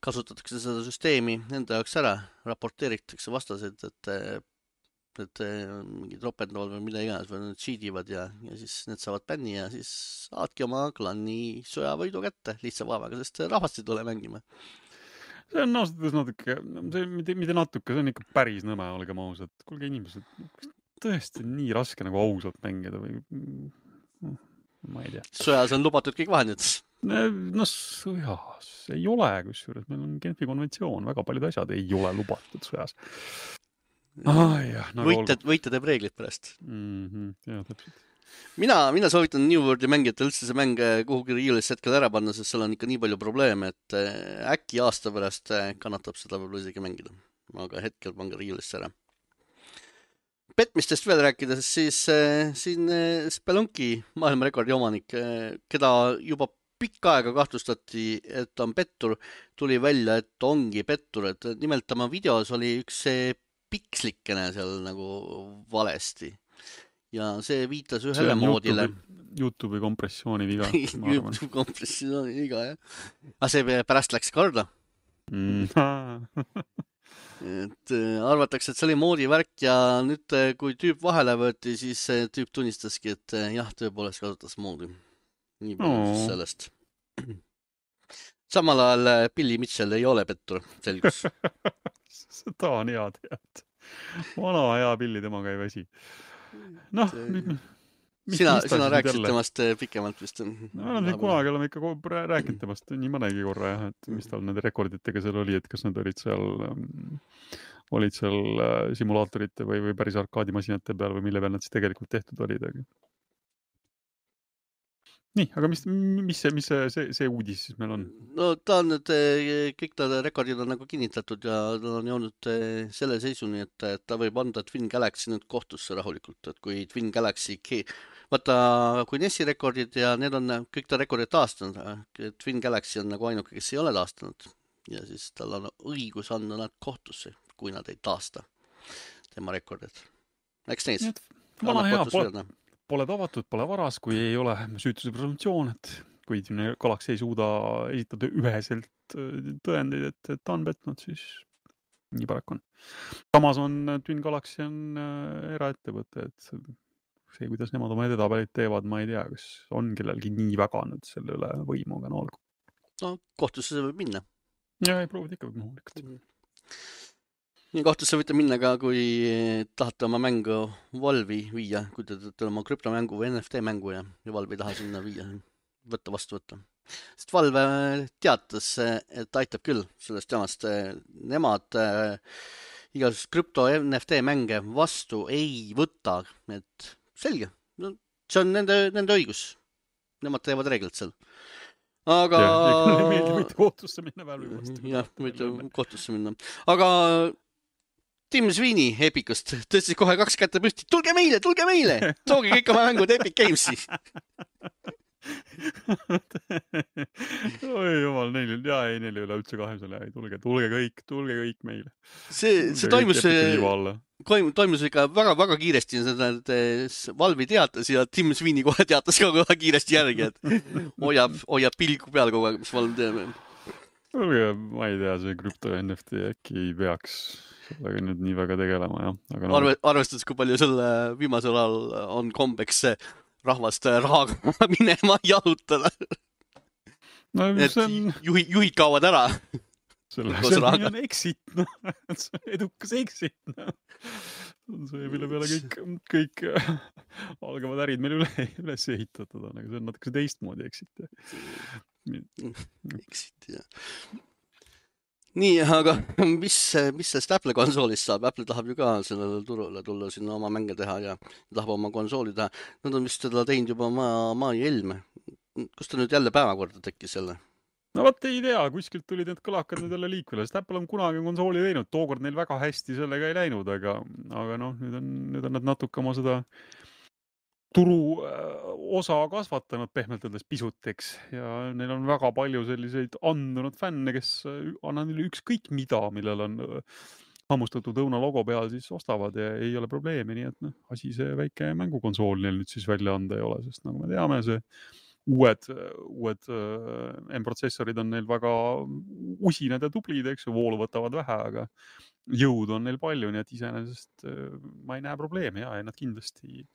kasutatakse seda süsteemi enda jaoks ära, raporteeritakse vastased, et mingid ropendavad või mida iganes või nad cheativad ja siis need saavad bänni ja siis saadki oma klanni sõjavõidu kätte lihtsa vaevaga, sest rahvast ei tule mängima. See on natuke, mitte natuke, see on ikka päris nõme, olgem ausad. Kuulge inimesed, tõesti nii raske nagu ausalt mängida või ma ei tea. Sõjas on lubatud kõik vahendid. Sõjas ei ole, kusjuures meil on Genfi konventsioon, väga paljud asjad ei ole lubatud sõjas. Võite teeb reeglid pärast. Jah, täpselt. Mina soovitan New Worldi mängijate üldse see mäng kuhugi riiulisse hetkel ära panna, sest seal on ikka nii palju probleeme, et äkki aasta pärast kannatab seda võib-olla isegi mängida. Aga hetkel pange riiulisse ära. Petmistest veel rääkides, siis siin Spelunki maailmarekordi omanik, keda juba pikka aega kahtlustati, et on pettur, tuli välja, et ongi pettur. Et nimelt tema videos oli üks pikslikene seal nagu valesti. Ja see viitas ühele moodile. YouTube'i kompressiooni viga. YouTube kompressiooni viga, jah. Aga see pärast läks korda. Et arvatakse, et see oli moodi värk ja nüüd, kui tüüp vahele võeti, siis tüüp tunnistaski, et jah, tõepoolest kasutas moodi. Nii palju sellest. Samal ajal Billy Mitchell ei ole pettur, selgus. Seda on hea tead. Vana hea Billy, temaga ei väsi. Sina rääkisid temast pikemalt vist. Kunagi oleme ikka rääkinud temast nii mõnegi korra, jah, et mis tal nende rekorditega seal oli, et kas nad olid seal simulaatorite või päris arkaadimasinate peal või mille peal nad siis tegelikult tehtud olid. Nii, aga mis see uudis siis meil on? No ta on nüüd, kõik ta rekordid on nagu kinnitatud ja ta on jõudnud selle seisuni, et ta võib anda Twin Galaxy nüüd kohtusse rahulikult, et kui Twin Galaxy, vaata, kui NES-i rekordid ja need on kõik ta rekordid taastanud, Twin Galaxy on nagu ainuke, kes ei ole taastanud ja siis tal on õigus anda nad kohtusse, kui nad ei taasta tema rekordid. Eks neis? Vana hea, pole tavatud, pole varas, kui ei ole süütuse presumptsioon, et kui Twin Galaxy ei suuda esitada üheselt tõendeid, et ta on petnud, siis nii paraku on. Samas on Twin Galaxy on eraettevõte, et see, kuidas nemad oma edetabelit teevad, ma ei tea, kas on kellelgi nii väga nüüd selle üle võimu, aga olgu. No, kohtusse see võib minna. Ja, ei proovid ikka võib muhulikult. Nii kohtusse võite minna ka, kui tahate oma mängu Valve'i viia, kui te teete oma krüptomängu või NFT mängu ja Valve ei taha sinna viia, vastu võtta. sest Valve teatas, et aitab küll sellest jamast. Nemad igasugust krüpto NFT mänge vastu ei võta, et selge. No, see on nende õigus. Nemad teevad reeglid seal. Aga... Ja meeldi võite kohtusse minna Valve'i vastu. Jah, võite kohtusse minna. Aga Tim Sweeney Epicust tõstis kohe 2 kätte püsti. Tulge meile! Tooge kõik oma mängud Epic Gamesi. Oi jumal, neil ei ole üldse kahesele. Tulge kõik meile. See toimus ikka väga kiiresti. Valve'i teatas ja Tim Sweeney kohe teatas ka kohe kiiresti järgi, et hoiab pilgu peal kogu aeg, mis Valve teeb. Ma ei tea, see krüpto NFT äkki ei peaks sellega nüüd nii väga tegelema, jah. Aga arvestades, kui palju selle viimasel ajal on kombeks rahvast rahaga minema jalutada. No, juhid kaovad ära. See on exit, edukas exit. See, mille peale kõik algavad ärid meil üles ehitatud on, aga see on natuke teistmoodi exit. Exit, jah. Nii, aga mis sellest Apple konsoolist saab? Apple tahab ju ka sellele turule tulla sinna oma mänge teha ja tahab oma konsooli teha. Nad on vist seda teinud juba mai Helme. Kus ta nüüd jälle päevakorda tekkis jälle? No vaat ei tea, kuskilt tulid need kõlakad nüüd jälle liikvele, sest Apple on kunagi konsooli teinud, tookord neil väga hästi sellega ei läinud, aga noh, nüüd on nad natuke oma seda turu osa kasvatanud pehmelt öeldes pisuteks ja neil on väga palju selliseid andunud fänne, kes annan neile ükskõik mida, millel on hammustatud õuna logo peal, siis ostavad ja ei ole probleemi, nii et asi see väike mängukonsool neil nüüd siis välja anda ei ole, sest nagu me teame, see uued M-protsessorid on neil väga usinad ja tublid, eks ju, voolu võtavad vähe, aga jõudu on neil palju, nii et iseenesest ma ei näe probleemi ja nad kindlasti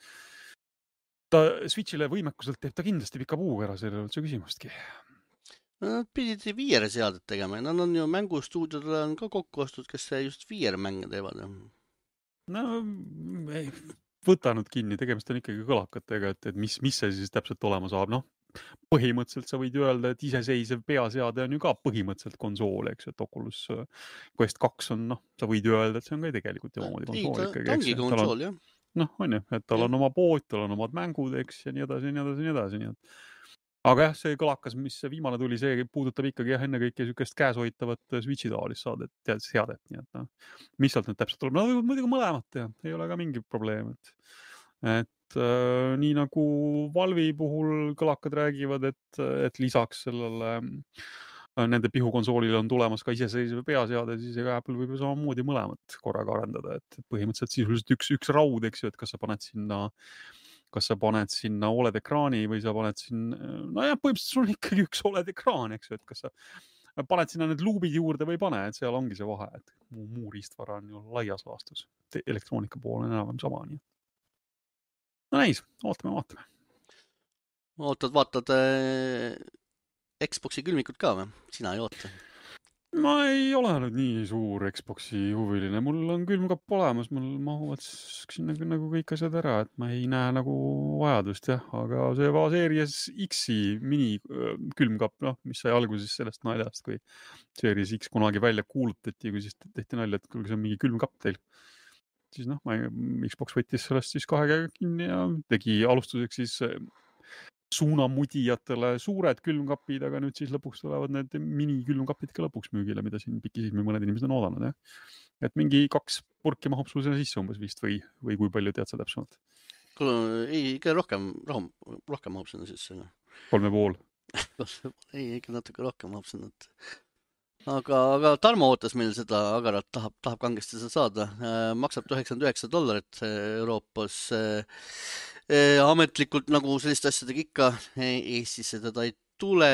Switchile võimekuselt teeb ta kindlasti pika puuga ära, selle üldse küsimustki. Nad pidid VR seadet tegema, nad on ju mängustuudiodele on ka kokku ostud, kes just VR mänge teevad. No, võta nüüd kinni, tegemist on ikkagi kõlakatega, et mis see siis täpselt olema saab, põhimõtteliselt sa võid ju öelda, et iseseisev peaseade on ju ka põhimõtteliselt konsool, eks, et Oculus Quest 2 on, sa võid ju öelda, et see on ka tegelikult omamoodi konsool ikkagi. Ta ongi konsool, jah. On ju, et tal on oma pood, tal on omad mängud, eks, ja nii edasi. Aga jah, see kõlakas, mis viimane tuli, see puudutab ikkagi ennekõike niisugust käeshoitavat Switchi taolist seadet. Nii et mis sealt nüüd täpselt tuleb? No muidugi mõlemat teha, ei ole ka mingi probleem. Et nii nagu Valve'i puhul kõlakad räägivad, et lisaks sellele nende pihukonsoolile on tulemas ka iseseisev peaseade, siis Apple võib ju samamoodi mõlemat korraga arendada, et põhimõtteliselt sisuliselt üks raud, eks ju, et kas sa paned sinna OLED-ekraani või sa paned sinna, põhimõtteliselt sul on ikkagi üks OLED-ekraan, eks ju, et kas sa paned sinna need luubid juurde või pane, et seal ongi see vahe, et muu riistvara on ju laias laastus. Elektroonika pool on enam sama, nii. No näis, ootame. Vaatad Xboxi külmikud ka või? Sina ei oota? Ma ei ole nüüd nii suur Xboxi huviline. Mul on külmkapp olemas, mul mahuvad nagu kõik asjad ära, et ma ei näe nagu vajadust, jah. Aga see Series X-i mini külmkapp, mis sai alguses sellest naljast, kui Series X kunagi välja kuulutati, kui siis tehti nalja, et kui see on mingi külmkapp teil. Siis Xbox võttis sellest siis 2 käega kinni ja tegi alustuseks siis suunamudijatele suured külmkapid, aga nüüd siis lõpuks tulevad need mini-külmkapid ka lõpuks müügile, mida siin pikisihmi mõned inimesed on oodanud, jah. Et mingi 2 purki mahub sul sinna sisse umbes vist või kui palju tead sa täpsemalt? Ei, ikka rohkem mahub sinna sisse. 3,5. Ei, ikka natuke rohkem mahub sinna. Aga Tarmo ootas meil seda agarat, tahab kangesti seda saada. Maksab $99 Euroopas. Ametlikult nagu selliste asjadega ikka Eestisse teda ei tule,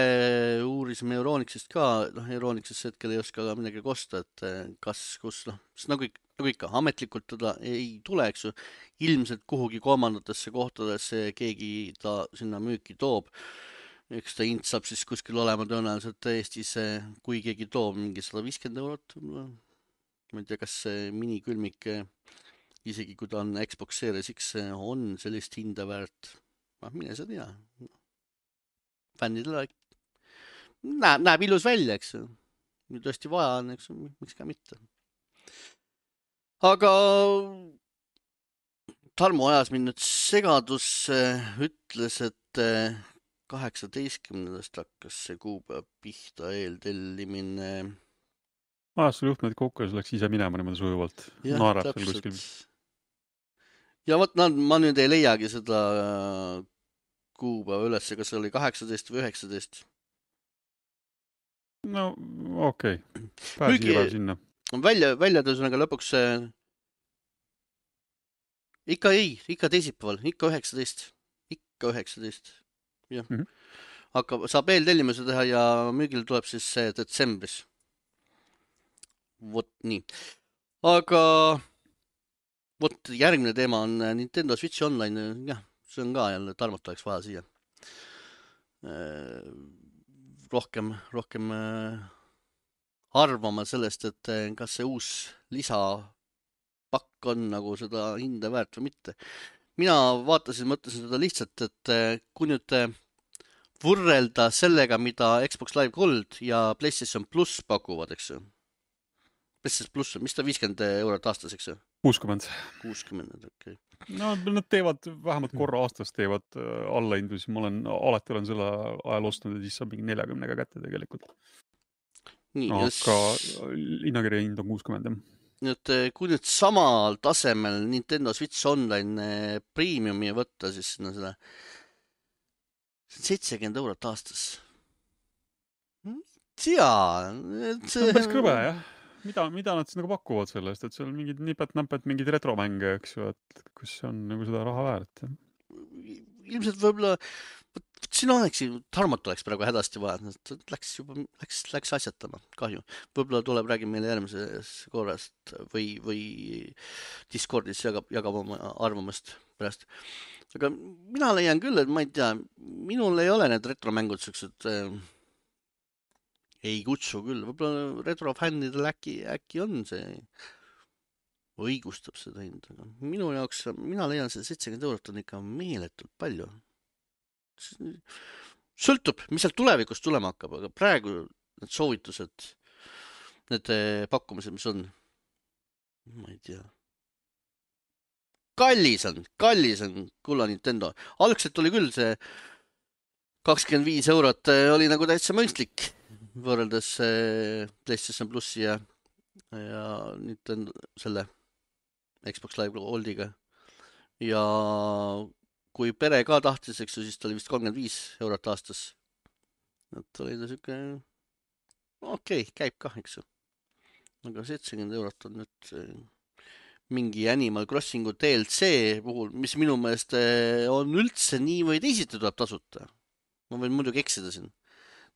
uurisime Euronixist ka, Euronixist hetkel ei oska midagi kosta, et kus, nagu ikka, ametlikult teda ei tule, eks ju, ilmselt kuhugi kolmandatesse kohtadesse keegi ta sinna müüki toob. Eks ta hind saab siis kuskil olema tõenäoliselt Eestis, kui keegi toob mingi €150. Ma ei tea, kas see minikülmik isegi kui ta on Xbox Series X, on sellist hinda väärt. Mine sa tea. Fännidele näeb ilus välja, eks ju. Kui tõesti vaja on, eks ju, miks ka mitte. Aga Tarmo ajas mind nüüd segadusse, ütles, et 18. hakkas see kuupäev pihta eeltellimine. Ajas sul juhtmed kokku ja see läks ise minema niimoodi sujuvalt. Naerab seal kuskil. Ja vot, ma nüüd ei leiagi seda kuupäeva üles, kas see oli 18 või 19. No okei. Pääsi päev sinna. Välja tõusõnaga lõpuks ikka teisipäeval, ikka 19. Ikka 19. Jah. Saab eeltellimuse teha ja müügil tuleb siis detsembris. Vot nii. Aga vot järgmine teema on Nintendo Switch Online. Jah, see on ka jälle Tarmot oleks vaja siia. Rohkem arvama sellest, et kas see uus lisapakk on nagu seda hinda väärt või mitte. Mina mõtlesin seda lihtsalt, et kui nüüd võrrelda sellega, mida Xbox Live Gold ja PlayStation Plus pakuvad, eks ju. PlayStation Plus on, mis ta 50 eurot aastas, eks ju? 60, okei. No nad teevad, vähemalt korra aastas teevad allahindlusi. Ma alati olen selle ajal ostnud ja siis saab mingi 40 kätte tegelikult. Nii, aga hinnakirja hind on 60. Nüüd, kui nüüd samal tasemel Nintendo Switch Online Premiumi võtta, siis seda 70 eurot aastas. Tea. See on päris krõbe, jah. Mida nad siis nagu pakuvad sellest, et seal mingid nipet-näpet, mingid retromänge, eks ju, et kus on nagu seda raha väärt. Ilmselt võib-olla, siin Tarmot oleks praegu hädasti vaja, läks asjatama, kahju. Võib-olla tuleb, räägib meile järgmises korrast või Discordis jagab oma arvamust pärast. Aga mina leian küll, et ma ei tea, minul ei ole need retromängud sellised ei kutsu küll, võib-olla retrofännidel äkki on see õigustab seda hinda. Minu jaoks, mina leian see 70 eurot on ikka meeletult palju. Sõltub, mis seal tulevikus tulema hakkab, aga praegu need soovitused, need pakkumised, mis on, ma ei tea. Kallis on kulla Nintendo. Algselt oli küll see 25 eurot oli nagu täitsa mõistlik võrreldes PlayStation Plussi ja Nintendo selle Xbox Live Goldiga. Ja kui pere ka tahtis, eks ju, siis ta oli vist 35 eurot aastas. Et oli ta siuke okei, käib kah, eks ju. Aga 70 eurot on nüüd mingi Animal Crossingu DLC puhul, mis minu meelest on üldse nii või teisiti tuleb tasuta. Ma võin muidugi eksida siin.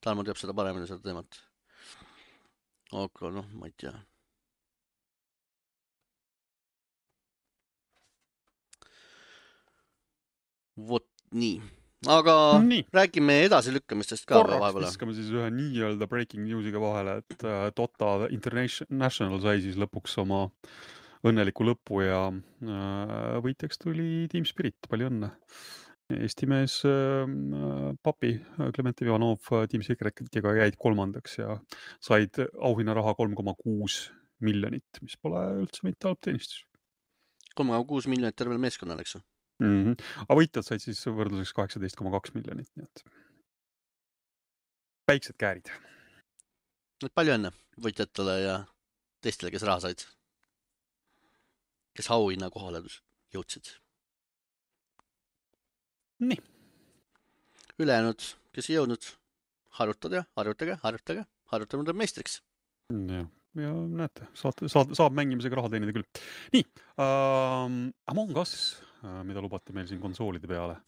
Tarmo teab seda paremini seda teemat. Aga ma ei tea. Vot nii. Aga räägime edasilükkamistest ka vahepeal. Korraks viskame siis ühe nii-öelda breaking newsiga vahele, et Dota International sai siis lõpuks oma õnneliku lõpu ja võitjaks tuli Team Spirit. Palju õnne. Eesti mees papi Klementiv Ivanov Team Secretiga jäid 3. ja said auhinnaraha 3,6 miljonit, mis pole üldse mitte halb teenistus. 3,6 miljonit tervel meeskonnal, eks ju? Aga võitjad said siis võrdluseks 18,2 miljonit. Nii et väiksed käärid. Palju õnne võitjatele ja teistele, kes raha said. Kes auhinna kohale jõudsid. Nii. Ülejäänud, kes ei jõudnud, harjutame meistriks. Ja näete, saab mängimisega raha teenida küll. Nii, Among Us, mida lubati meil siin konsoolide peale.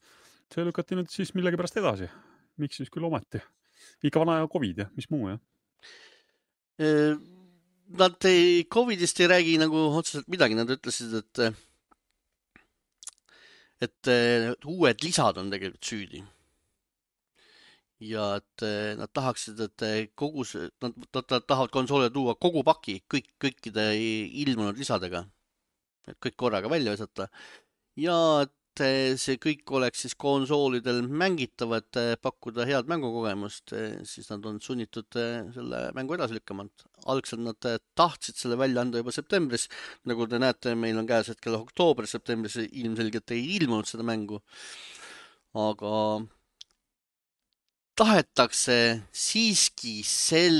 See lükati nüüd siis millegi pärast edasi. Miks siis küll ometi? Ikka vana ja COVID ja mis muu, jah? Nad COVIDist ei räägi nagu otseselt midagi. Nad ütlesid, et uued lisad on tegelikult süüdi. Ja et nad tahaksid, et nad tahavad konsoolile tuua kogu paki kõikide ilmunud lisadega. Et kõik korraga välja visata. Ja et see kõik oleks siis konsoolidel mängitav, et pakkuda head mängukogemust, siis nad on sunnitud selle mängu edasi lükkama. Algselt nad tahtsid selle välja anda juba septembris. Nagu te näete, meil on käes hetkel oktoobris, septembris ilmselgelt ei ilmunud seda mängu. Aga tahetakse siiski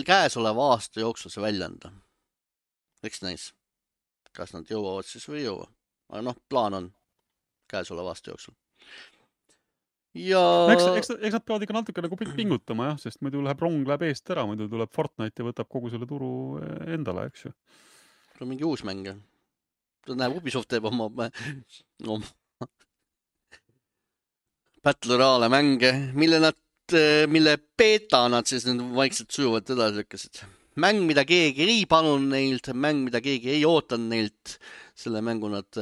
käesoleva aasta jooksul see välja anda. Eks näis. Kas nad jõuavad siis või ei jõua. Aga plaan on käesoleva aasta jooksul. Ja eks nad peavad ikka natuke nagu pingutama, jah, sest muidu rong läheb eest ära, muidu tuleb Fortnite ja võtab kogu selle turu endale, eks ju. See on mingi uus mäng. Näeb, Ubisoft teeb oma Battle Royale mänge, mille beta nad siis nüüd vaikselt sujuvalt edasi lükkasid. Mäng, mida keegi ei palunud neilt, mäng, mida keegi ei ootanud neilt, selle mängu nad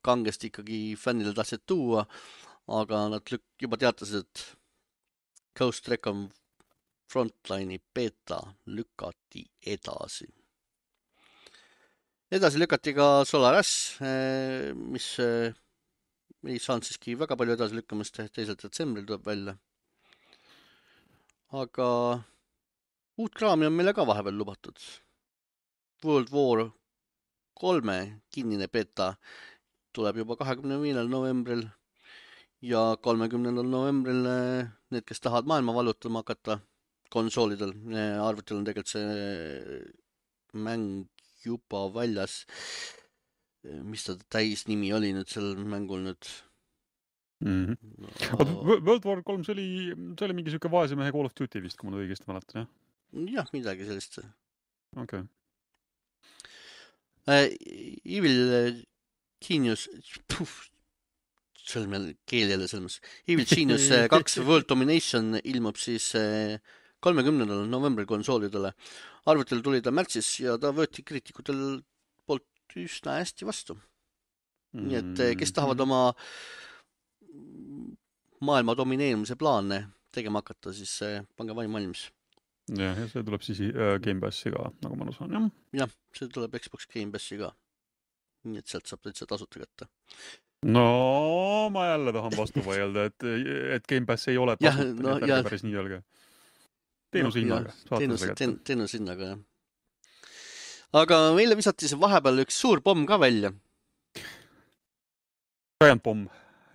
kangesti ikkagi fännile tahtsid tuua, aga nad juba teatasid, et Ghost Recon Frontline'i beta lükati edasi. Edasi lükati ka Solaris, mis ei saanud siiski väga palju edasi lükkamist, 2. detsembril tuleb välja. Aga uut kraami on meile ka vahepeal lubatud. World War 3 kinnine beta tuleb juba 25. novembril ja 30. novembril need, kes tahavad maailma vallutama hakata konsoolidel. Arvutil on tegelikult see mäng juba väljas. Mis ta täis nimi oli nüüd sel mängul nüüd? World War 3, see oli mingi siuke vaese mehe Call of Duty vist, kui ma õigesti mäletan, jah? Jah, midagi sellist. Okay. Evil Genius, see on meil keel jälle selmas. Evil Genius 2 World Domination ilmub siis 30. novembril konsoolidele. Arvutil tuli ta märtsis ja ta võeti kriitikutel poolt üsna hästi vastu. Nii et kes tahavad oma maailma domineerimise plaane tegema hakata, siis pange vaim valmis. Ja see tuleb siis Game Passi ka, nagu ma saan, jah? Jah, see tuleb Xbox Game Passi ka. Nii et sealt saab täitsa tasuta kätte. No, ma jälle tahan vastu vaielda, et Game Pass ei ole tasuta, ärge päris nii öelge. Teenuse hinnaga. Teenuse hinnaga, jah. Aga meile visati see vahepeal üks suur pomm ka välja. Giant pomm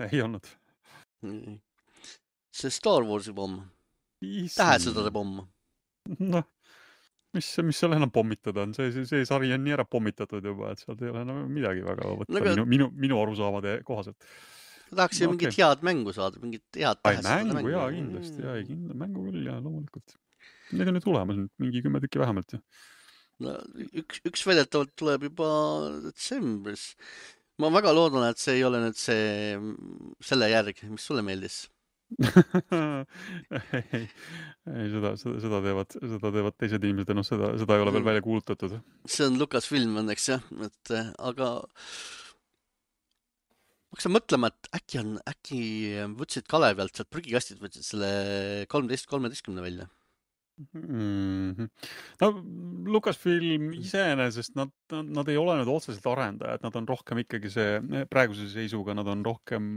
ei olnud. See Star Warsi pomm. Tähesõdade pomm. Noh, mis seal enam pommitada on? See sari on nii ära pommitatud juba, et sealt ei ole midagi väga võtta minu arusaamade kohaselt. Tahaks ju mingit head mängu saada, mingit head tähesõdade mängu. Jaa, kindlasti. Mängu küll, jaa, loomulikult. Need on nüüd tulemas, mingi 10 tükki vähemalt. Üks väidetavalt tuleb juba detsembris. Ma väga loodan, et see ei ole nüüd selle järg, mis sulle meeldis. Seda teevad teised inimesed, seda ei ole veel välja kuulutatud. See on Lucasfilm õnneks, jah. Aga ma hakkasin mõtlema, et äkki võtsid Kalevialt sealt prügikastid, võtsid selle 13 välja. No, Lucasfilm iseenesest nad ei ole nüüd otseselt arendajad, nad on rohkem ikkagi praeguse seisuga, nad on rohkem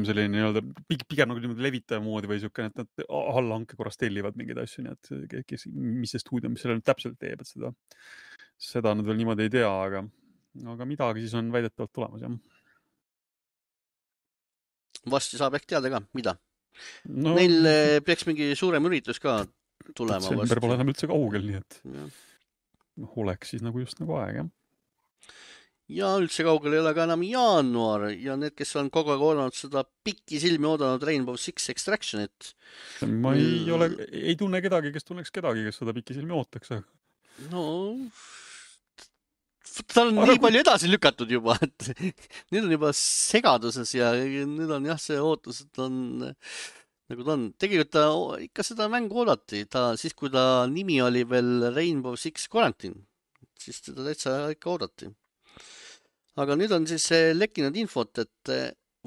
selline nii-öelda pigem nagu levitaja moodi või siuke, et nad allahanke korras tellivad mingeid asju, nii et mis see stuudio, mis selle nüüd täpselt teeb, et seda nad veel niimoodi ei tea, aga midagi siis on väidetavalt tulemas, jah. Vasti saab ehk teada ka, mida? Neil peaks mingi suurem üritus ka tulema. Detsember pole enam üldse kaugel, nii et oleks siis nagu just nagu aeg, jah. Ja üldse kaugel ei ole ka enam jaanuar ja need, kes on kogu aeg oodanud seda pikki silmi oodanud Rainbow Six Extractionit. Ma ei tunne kedagi, kes tunneks kedagi, kes seda pikki silmi ootaks. No, ta on nii palju edasi lükatud juba, et nüüd on juba segaduses ja nüüd on jah see ootus, et on nagu ta on. Tegelikult ta ikka seda mängu oodati, siis kui ta nimi oli veel Rainbow Six Quarantine, siis teda täitsa ikka oodati. Aga nüüd on siis lekkinud infot, et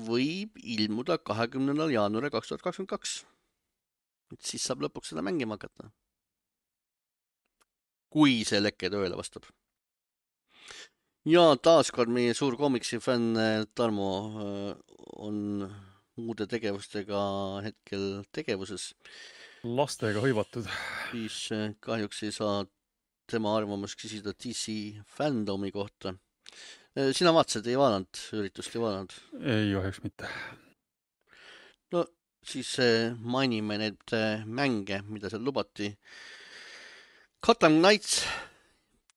võib ilmuda 20. jaanuari 2022. Siis saab lõpuks seda mängima hakata. Kui see lekke tööle vastab. ja taaskord meie suur komiksi fänn Tarmo on muude tegevustega hetkel tegevuses, Lastega hõivatud. siis kahjuks ei saa tema arvamust küsida DC fandomi kohta. Sina vaatasid, ei vaadanud, üritust ei vaadanud? Ei kahjuks mitte. No siis mainime need mänge, mida seal lubati. Gotham Knights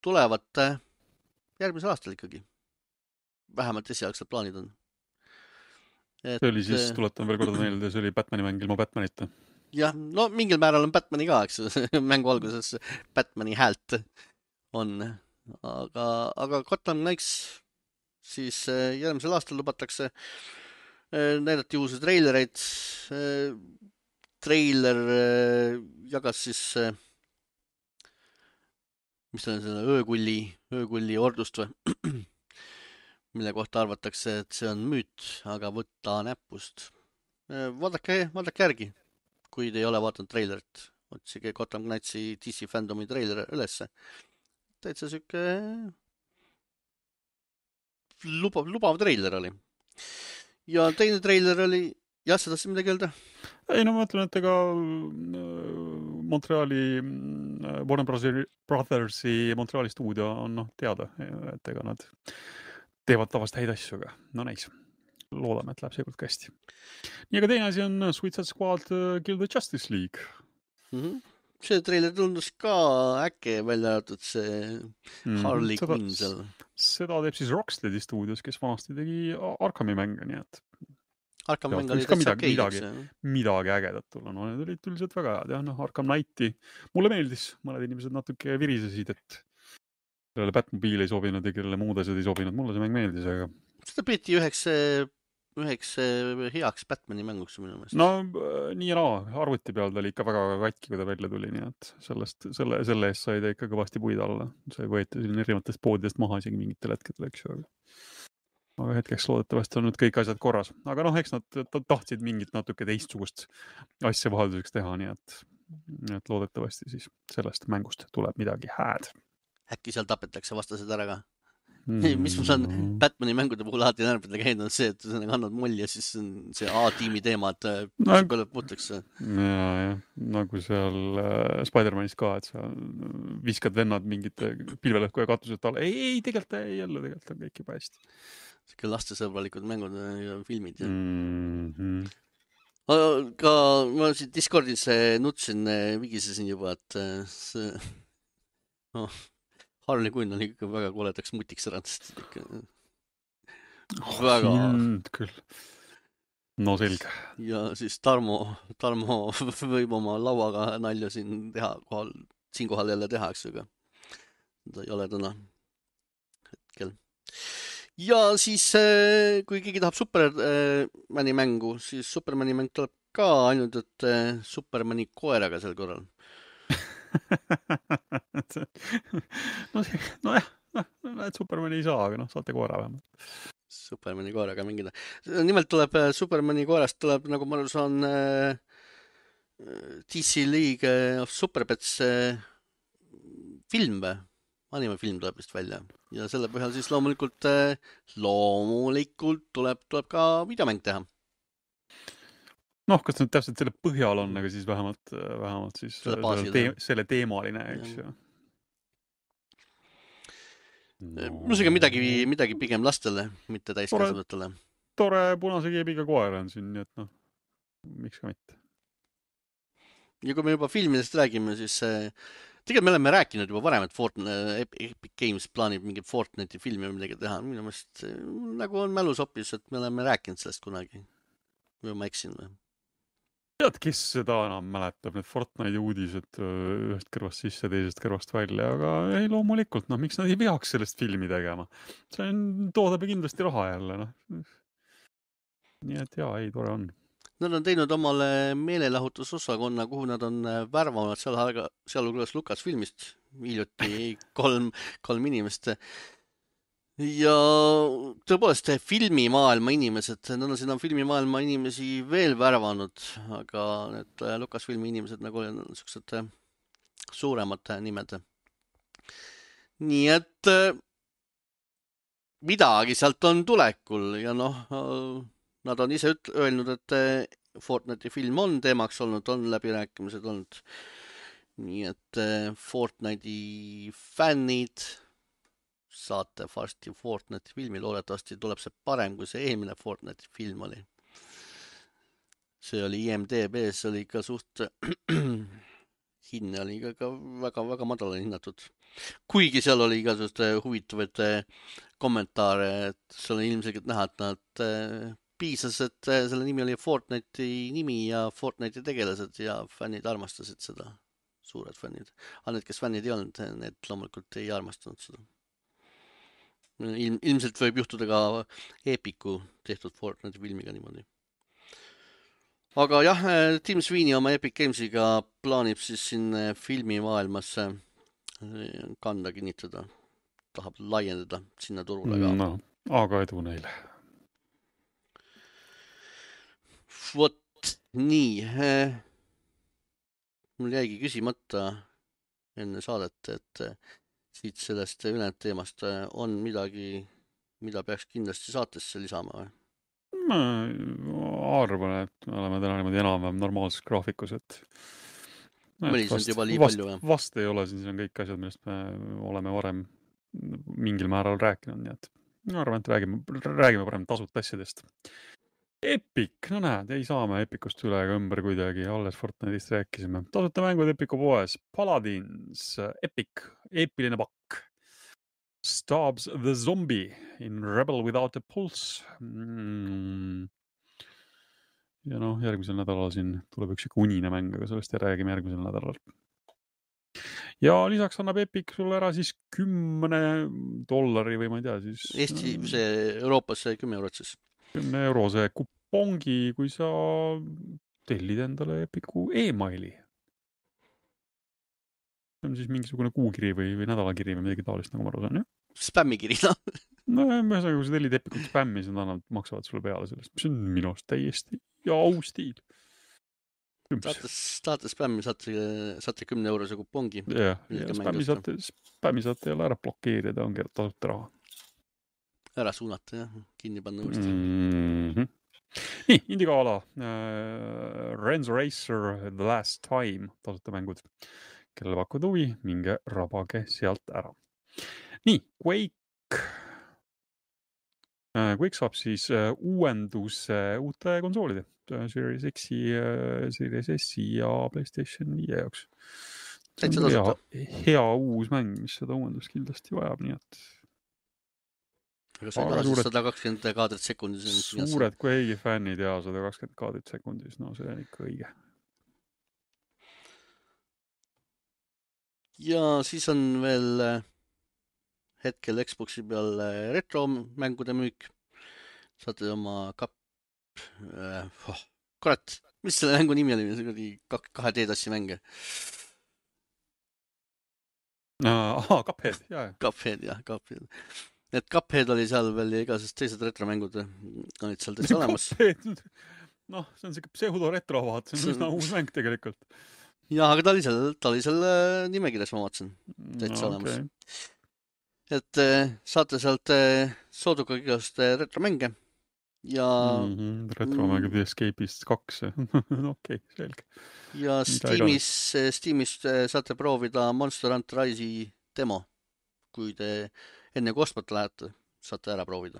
tulevad järgmisel aastal ikkagi. Vähemalt esialgsed plaanid on. See oli siis, tuletan veel korda meelde, see oli Batmani mäng ilma Batmanita. Jah, no mingil määral on Batmani ka, eks mängu alguses Batmani häält on. Aga Gotham Knights siis järgmisel aastal lubatakse. Näidati uusi treilereid. Treiler jagas siis mis on selle öökulli ordust või, mille kohta arvatakse, et see on müüt, aga võtta näpust. Vaadake järgi, kui te ei ole vaadanud treilerit. Otsige Gotham Knightsi DC fandomi treiler ülesse. Täitsa siuke lubav treiler oli. Ja teine treiler oli, jah, sa tahtsid midagi öelda? Ei, no ma mõtlen, et ega Montreali Warner Brothersi Montreali stuudio on teada, et ega nad teevad tavast häid asju, aga no näis. Loodame, et läheb seekord ka hästi. Nii, aga teine asi on Suicide Squad Kill the Justice League. See treiler tundus ka äkki välja arvatud see Harley Quinn seal. Seda teeb siis Rocksteadi stuudios, kes vanasti tegi Arkhami mänge, nii et Arkhami mäng oli täitsa okei. Midagi ägedat tulla. No need olid üldiselt väga head. Ja, Arkham Knighti mulle meeldis. Mõned inimesed natuke virisesid, et kellele Batmobile ei sobinud ja kellele muud asjad ei sobinud. Mulle see mäng meeldis, aga seda peeti üheks heaks Batmani mänguks minu meelest. No nii ja naa, arvuti peal ta oli ikka väga katki, kui ta välja tuli, nii et selle eest sai ta ikka kõvasti puid alla. See võeti siin erinevatest poodidest maha isegi mingitel hetkedel, eks ju. Aga hetkeks loodetavasti on nüüd kõik asjad korras. Aga eks nad tahtsid mingit natuke teistsugust asja vahelduseks teha, nii et loodetavasti siis sellest mängust tuleb midagi hääd. Äkki seal tapetakse vastased ära ka? Mis mul on Batmani mängude puhul alati närvida käinud, on see, et sa annad molli ja siis see A-tiimi teema, et peale puutakse. Ja, nagu seal Spider-Manis ka, et sa viskad vennad mingite pilvelõhku ja katused alla. Ei, tegelikult on kõik juba hästi. Siuke lastesõbralikud mängud ja filmid. Aga ma siin Discordis nutsin, vigisesin juba, et see Harley Quinn on ikka väga koledaks mutiks ärandast. Väga. Küll. No selge. Ja siis Tarmo võib oma lauaga nalja siinkohal jälle teha, eks ju, ta ei ole täna hetkel. Ja siis, kui keegi tahab Supermani mängu, siis Supermani mäng tuleb ka ainult, et Supermani koeraga sel korral. Nojah, et Supermani ei saa, aga saate koera vähemalt. Supermani koeraga mängida. Nimelt tuleb Supermani koerast tuleb, nagu ma saan DC League of Superpets film või? Animefilm tuleb vist välja ja selle põhjal siis loomulikult tuleb ka videomäng teha. Kas nüüd täpselt selle põhjal on, aga siis vähemalt siis selle teemaline, eks ju. Muusega midagi pigem lastele, mitte täiskasvanutele. Tore punase keebiga koer on siin, nii et miks ka mitte. Ja kui me juba filmidest räägime, siis tegelikult me oleme rääkinud juba varem, et Epic Games plaanib mingi Fortnite'i filmi või midagi teha. Minu meelest nagu on mälus hoopis, et me oleme rääkinud sellest kunagi. Või ma eksin või? Tead, kes seda enam mäletab, need Fortnite'i uudised ühest kõrvast sisse, teisest kõrvast välja, aga ei loomulikult, miks nad ei peaks sellest filmi tegema? See toodab kindlasti raha jälle, Nii et jaa, ei, tore on. Nad on teinud omale meelelahutusosakonna, kuhu nad on värvanud sealhulgas Lucasfilmist hiljuti kolm inimest. Ja tõepoolest filmimaailma inimesed, nad on sinna filmimaailma inimesi veel värvanud, aga need Lucasfilmi inimesed nagu on niisugused suuremad nimed. Nii et midagi sealt on tulekul ja noh, nad on ise öelnud, et Fortnite'i film on teemaks olnud, on läbirääkimised olnud. Nii et Fortnite'i fännid saate varsti Fortnite'i filmi, loodetavasti tuleb see parem, kui see eelmine Fortnite'i film oli. See oli IMDb-s, oli ikka suht hinne oli ka väga madala hinnatud. Kuigi seal oli igasugust huvitavaid kommentaare, et seal on ilmselgelt näha, et nad piisas, et selle nimi oli Fortnite'i nimi ja Fortnite'i tegelased ja fännid armastasid seda, suured fännid. Aga need, kes fännid ei olnud, need loomulikult ei armastanud seda. Ilmselt võib juhtuda ka Epicu tehtud Fortnite'i filmiga niimoodi. Aga jah, Tim Sweeney oma Epic Gamesiga plaanib siis siin filmimaailmasse kanda kinnitada. Tahab laiendada sinna turule ka. No, aga edu neile. Vot nii. Mul jäigi küsimata enne saadet, et siit sellest ülejäänud teemast on midagi, mida peaks kindlasti saatesse lisama või? Ma arvan, et me oleme täna niimoodi enam-vähem normaalses graafikus, et Mõlisnud juba nii palju, jah? Vast ei ole, siis on kõik asjad, millest me oleme varem mingil määral rääkinud, nii et ma arvan, et räägime parem tasuta asjadest. Epic, no näed, ei saa me Epicust üle ega ümber kuidagi, alles Fortnite'ist rääkisime. Tasuta mängud Epicu poes, Paladins, Epic, eepiline pakk. Stabs the Zombie in Rebel Without a Pulse. Ja noh, järgmisel nädalal siin tuleb üks unine mäng, aga sellest ei räägime järgmisel nädalal. Ja lisaks annab Epic sulle ära siis $10 või ma ei tea siis... Eesti, see Euroopas see 10 eurot siis. 10 eurose kupongi, kui sa tellid endale Epicu e-maili. See on siis mingisugune kuukiri või nädalakiri või midagi taolist, nagu ma aru saan, jah? Spämmikiri, noh. No, ühesõnaga, kui sa tellid Epicut spämmi, siis nad maksavad sulle peale sellest. See on minu arust täiesti au stiil. Saate spämmi, saate 10 eurose kupongi. Jah, spämmi saate jälle ära blokeerida, ongi tasuta raha. Ära suunata, jah. Kinni panna uuesti. Nii, Indigala. Renzo Racer The Last Time. Tasuta mängud. Kellele pakud huvi, minge rabage sealt ära. Nii, Quake saab siis uuenduse uute konsoolide. Series X-i, Series S-i ja PlayStation 5 jaoks. Täitsa tasuta. Hea uus mäng, mis seda uuendust kindlasti vajab, nii et... Aga see on 120 kaadrit sekundis. Suured Quake'i fännid ja 120 kaadrit sekundis, no see on ikka õige. Ja siis on veel hetkel Xboxi peal retro-mängude müük. Saate oma kurat, mis selle mängu nimi oli? See oli 2D-tassi mänge. Cuphead, jah. Cuphead, jah, Cuphead. Et Cuphead oli seal veel ja igasest teised retromängud olid seal täitsa olemas. Noh, see on siuke pseudo-retro vaat, see on üsna uus mäng tegelikult. Ja, aga ta oli seal nimekirjas, ma vaatasin. Täitsa olemas. Et saate sealt sooduga igast retromänge. Ja... Retromängud Escape'ist 2. Okei, selge. Ja Steamist saate proovida Monster Hunter Rise'i demo. Kui te enne kostmata lähete, saate ära proovida.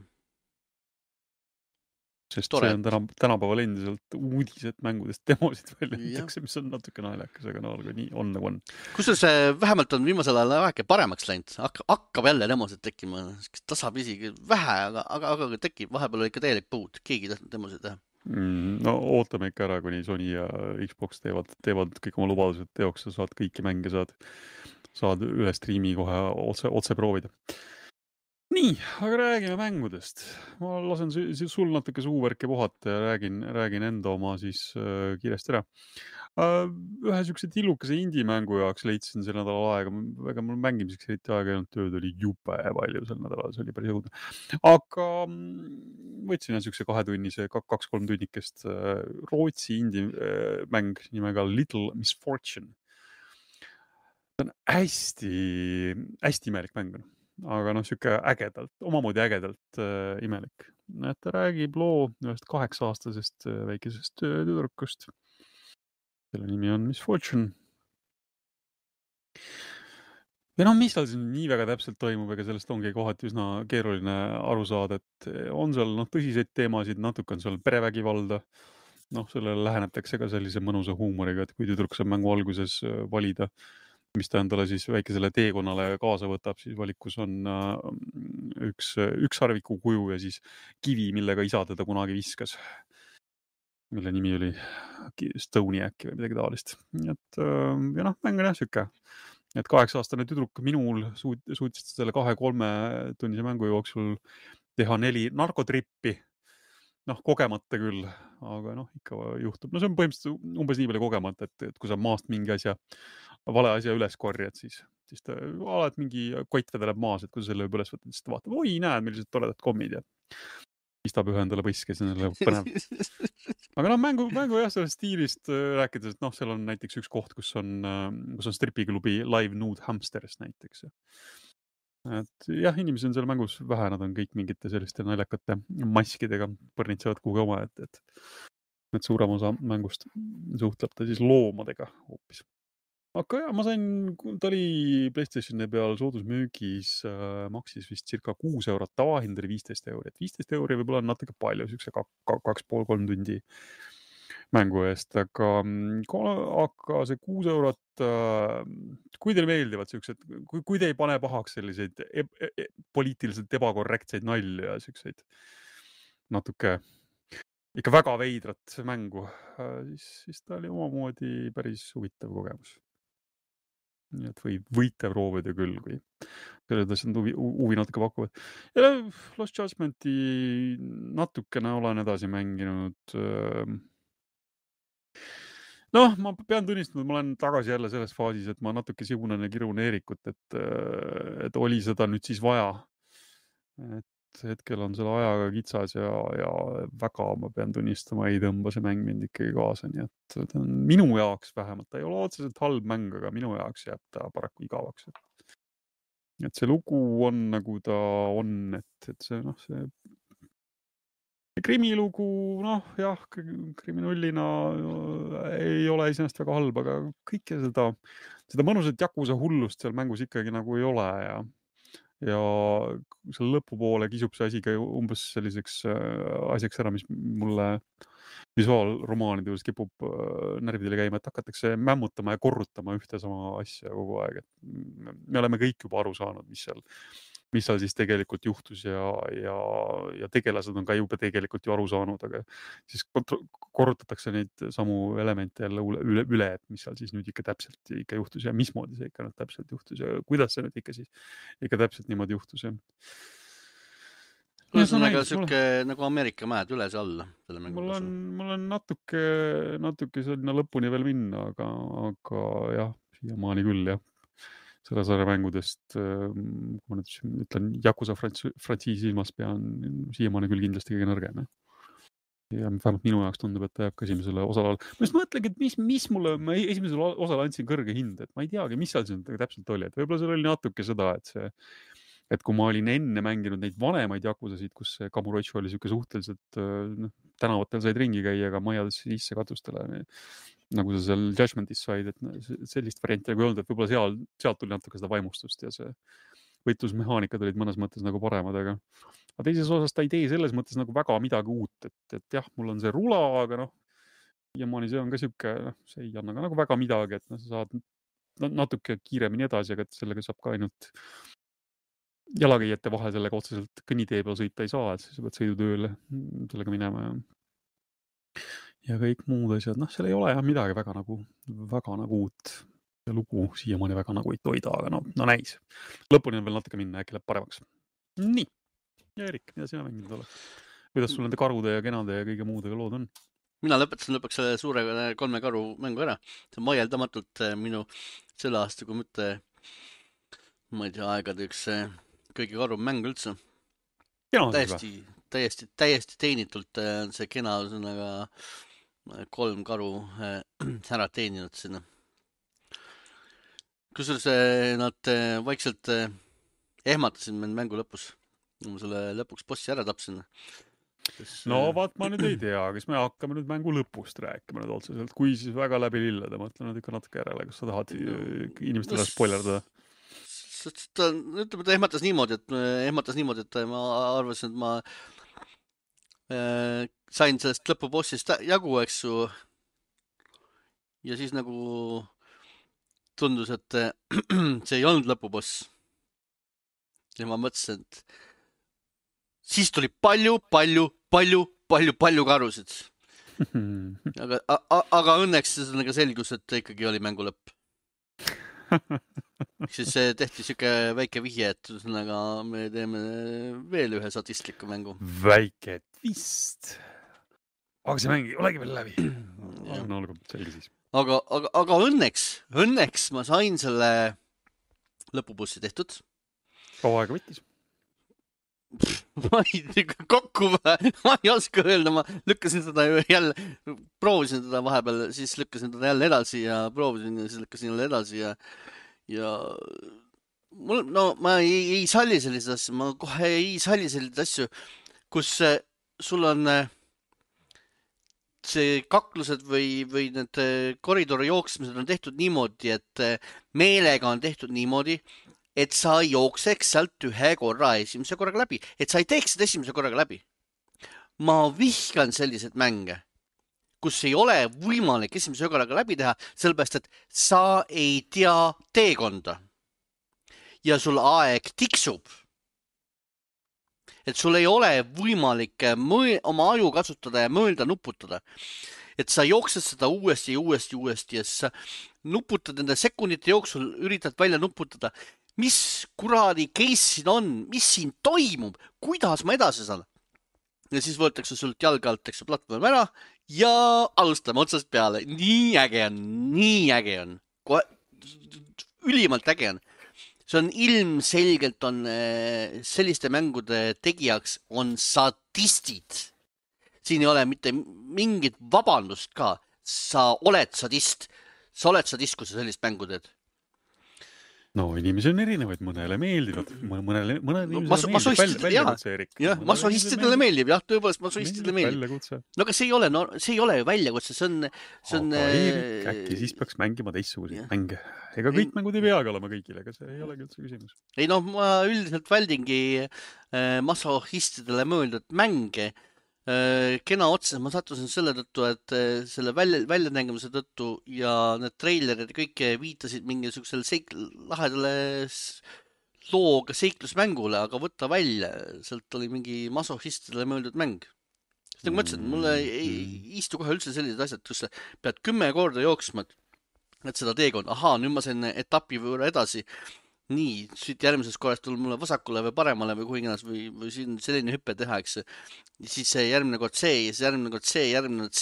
Sest see on tänapäeval endiselt uudised mängudest demosid väljendatakse, mis on natuke naljakas, aga no nii on nagu on. Kusjuures vähemalt on viimasel ajal väike paremaks läinud. Hakkab jälle demosid tekkima. Tasapisi vähe, aga tekib. Vahepeal ikka täielik puud. Keegi tahtnud demosid teha. No ootame ikka ära, kuni Sony ja Xbox teevad kõik oma lubadused teoks ja saad kõiki mänge saad üle striimi kohe otse proovida. Nii, aga räägime mängudest. Ma lasen sul natuke suuvärke puhata ja räägin enda oma siis kiiresti ära. Ühe sükse tillukese indie-mängu jaoks leidsin sel nädalal aega. Väga mul mängimiseks eriti aega ei olnud, tööd oli jube palju sel nädalal, see oli päris õudne. Aga võtsin sükse 2-tunnise, 2-3 tunnikest Rootsi indie-mäng nimega Little Misfortune. See on hästi imelik mäng. aga noh, sihuke ägedalt, omamoodi ägedalt imelik. Et ta räägib loo ühest 8-aastasest väikesest tüdrukust. Selle nimi on Miss Fortune. Ja noh, mis tal siin nii väga täpselt toimub, ega sellest ongi kohati üsna keeruline aru saada, et on seal tõsiseid teemasid, natuke on seal perevägivalda. Noh, sellele lähenetakse ka sellise mõnusa huumoriga, et kui tüdruk saab mängu alguses valida, mis ta endale siis väikesele teekonnale kaasa võtab, siis valikus on üks harviku kuju ja siis kivi, millega isa teda kunagi viskas, mille nimi oli Stony äkki või midagi taolist. Et ja noh, mäng on jah siuke. Et 8-aastane tüdruk minul suutis selle 2-3 tunnise mängu jooksul teha 4 narkotrippi. Noh, kogemata küll, aga noh, ikka juhtub. No see on põhimõtteliselt umbes nii palju kogemata, et kui sa maast mingi vale asja üles korjad, siis ta alati mingi kott vedeleb maas, et kui sa selle üles võtad, siis ta vaatab, oi, näed, millised toredad kommid ja pistab ühe endale põske, siis on põnev. Aga noh, mängu jah, sellest stiilist rääkides, et noh, seal on näiteks üks koht, kus on stripiklubi Live Nude Hamsters näiteks. Et jah, inimesi on seal mängus vähe, nad on kõik mingite selliste naljakate maskidega põrnitsevad kuhugi oma, et suurem osa mängust suhtleb ta siis loomadega hoopis. Aga jah, ta oli PlayStationi peal soodusmüügis, maksis vist circa 6 €, tavahind oli 15 €. 15 € võib-olla on natuke palju, siukse 2,5-3 tundi mängu eest, aga see 6 €, kui teile meeldivad siuksed, kui te ei pane pahaks selliseid poliitiliselt ebakorrektseid nalju ja siukseid natuke ikka väga veidrat mängu, siis ta oli omamoodi päris huvitav kogemus. Nii et võite proovida küll, kui sellised asjad huvi natuke pakuvad. Ja Lost Judgmenti natukene olen edasi mänginud. Noh, ma pean tunnistama, et ma olen tagasi jälle selles faasis, et ma natuke sigunen ja kirun Eerikut, et oli seda nüüd siis vaja. Et hetkel on selle ajaga kitsas ja väga, ma pean tunnistama, ei tõmba see mäng mind ikkagi kaasa, nii et ta on minu jaoks vähemalt, ta ei ole otseselt halb mäng, aga minu jaoks jääb ta paraku igavaks. Et see lugu on nagu ta on, et see krimilugu, noh jah, kriminullina ei ole iseenesest väga halb, aga kõike seda mõnusat jakusa hullust seal mängus ikkagi nagu ei ole ja selle lõpupoole kisub see asi ka umbes selliseks asjaks ära, mis mulle visuaalromaanide juures kipub närvidele käima, et hakatakse mämmutama ja korrutama ühte sama asja kogu aeg. Et me oleme kõik juba aru saanud, mis seal siis tegelikult juhtus ja tegelased on ka juba tegelikult ju aru saanud, aga siis korrutatakse neid samu elemente jälle üle, et mis seal siis nüüd ikka täpselt ikka juhtus ja mismoodi see ikka täpselt juhtus ja kuidas see nüüd ikka siis ikka täpselt niimoodi juhtus. Ühesõnaga siuke nagu Ameerika mäed üles alla. Mul on natuke sinna lõpuni veel minna, aga jah, siiamaani küll jah. Selle sarja mängudest, kui ma nüüd ütlen, Yakuza frantsiisi ilmas pean siiamaani küll kindlasti kõige nõrgem. Ja vähemalt minu jaoks tundub, et ta jääb ka esimesele osale. Ma just mõtlengi, et mis mulle, ma esimesele osale andsin kõrge hind, et ma ei teagi, mis seal täpselt oli. Et võib-olla seal oli natuke seda, et kui ma olin enne mänginud neid vanemaid Yakuzasid, kus Kamurocho oli siuke suhteliselt tänavatel said ringi käia, aga majades sisse katustele, nagu sa seal Judgmentis said, et sellist varianti nagu ei olnud, et võib-olla sealt tuli natuke seda vaimustust ja see võitlusmehaanikad olid mõnes mõttes nagu paremad, aga teises osas ta ei tee selles mõttes nagu väga midagi uut, et jah, mul on see rula, aga noh, siiamaani see on ka siuke, see ei anna ka nagu väga midagi, et sa saad natuke kiiremini edasi, aga sellega saab ka ainult jalakäijate vahel sellega otseselt kõnnitee peal sõita ei saa, et sa pead sõidutööle sellega minema ja kõik muud asjad. Noh, seal ei ole jah midagi väga nagu uut ja lugu siiamaani väga nagu ei toida, aga no näis. Lõpuni on veel natuke minna, äkki läheb paremaks. Nii. Ja Erik, mida sina mänginud oled? Kuidas sul nende karude ja kenade ja kõige muudega lood on? Mina lõpetasin lõpuks selle suure 3 karu mängu ära. See on vaieldamatult minu selle aasta, kui mitte, ma ei tea, aegade üks kõige karum mäng üldse. Täiesti teenitult see kena ühesõnaga 3 karu ära teeninud sinna. Kusjuures nad vaikselt ehmatasin mind mängu lõpus. Ma selle lõpuks bossi ära tapsin. No vaat ma nüüd ei tea, kas me hakkame nüüd mängu lõpust rääkima nüüd otseselt, kui siis väga läbi lillede, mõtlen nüüd ikka natuke järele, kas sa tahad inimestele spoilerdada. Ütleme, ta ehmatas niimoodi, et ma arvasin, et ma sain sellest lõpubossist jagu, eks ju. Ja siis nagu tundus, et see ei olnud lõpuboss. Ja ma mõtlesin, et siis tuli palju karusid. Aga õnneks selgus, et ikkagi oli mängu lõpp. Siis tehti siuke väike vihje, et me teeme veel ühe sadistliku mängu. Väike twist. Aga see mäng ei olegi veel läbi. No olgu, selge siis. Aga õnneks ma sain selle lõpubussi tehtud. Kaua aega võttis? Ma ei oska öelda, ma lükkasin seda jälle, proovisin teda vahepeal, siis lükkasin teda jälle edasi ja proovisin ja siis lükkasin jälle edasi ja ma ei salli selliseid asju, ma kohe ei salli selliseid asju, kus sul on see kaklused või need koridori jooksmised on tehtud niimoodi, et meelega on tehtud niimoodi, et sa jookseks sealt ühe korra esimese korraga läbi, et sa ei teeks seda esimese korraga läbi. Ma vihkan sellised mänge, kus ei ole võimalik esimese korraga läbi teha, sellepärast, et sa ei tea teekonda. Ja sul aeg tiksub. Et sul ei ole võimalik oma aju kasutada ja mõelda nuputada. Et sa jooksed seda uuesti ja sa nuputad nende sekundite jooksul, üritad välja nuputada. Mis kuradi case siin on, mis siin toimub, kuidas ma edasi saan. Ja siis võetakse sult jalga alt, eks platvorm ära ja alustame otsast peale. Nii äge on. Ülimalt äge on. See on ilmselgelt on selliste mängude tegijaks on sadistid. Siin ei ole mitte mingit vabandust ka. Sa oled sadist, kui sa sellist mängu teed. No inimesi on erinevaid, mõnele meeldivad, mõnele masohistidele meeldib, jah, tõepoolest masohistidele meeldib. No aga see ei ole ju väljakutse, see on... Aga Eerik, äkki siis peaks mängima teistsuguseid mänge. Ega kõik mängud ei peagi olema kõigile, aga see ei olegi üldse küsimus. Ei noh, ma üldiselt väldingi masohistidele mõeldud mänge. Kena otsa, ma sattusin selle tõttu, et selle väljanägemise tõttu ja need treilerid kõik viitasid mingisugusele lahedale looga seiklusmängule, aga võtta välja, sealt oli mingi masohistidele mõeldud mäng. Nagu ma ütlesin, mulle ei istu kohe üldse sellised asjad, kus sa pead 10 korda jooksma, et seda teekond, nüüd ma sain etapi võõra edasi. Nii, siit järgmises korrast tuleb mulle vasakule või paremale või kuhinginas või siin selline hüppe teha, eks. Ja siis järgmine kord see, ja siis järgmine kord see,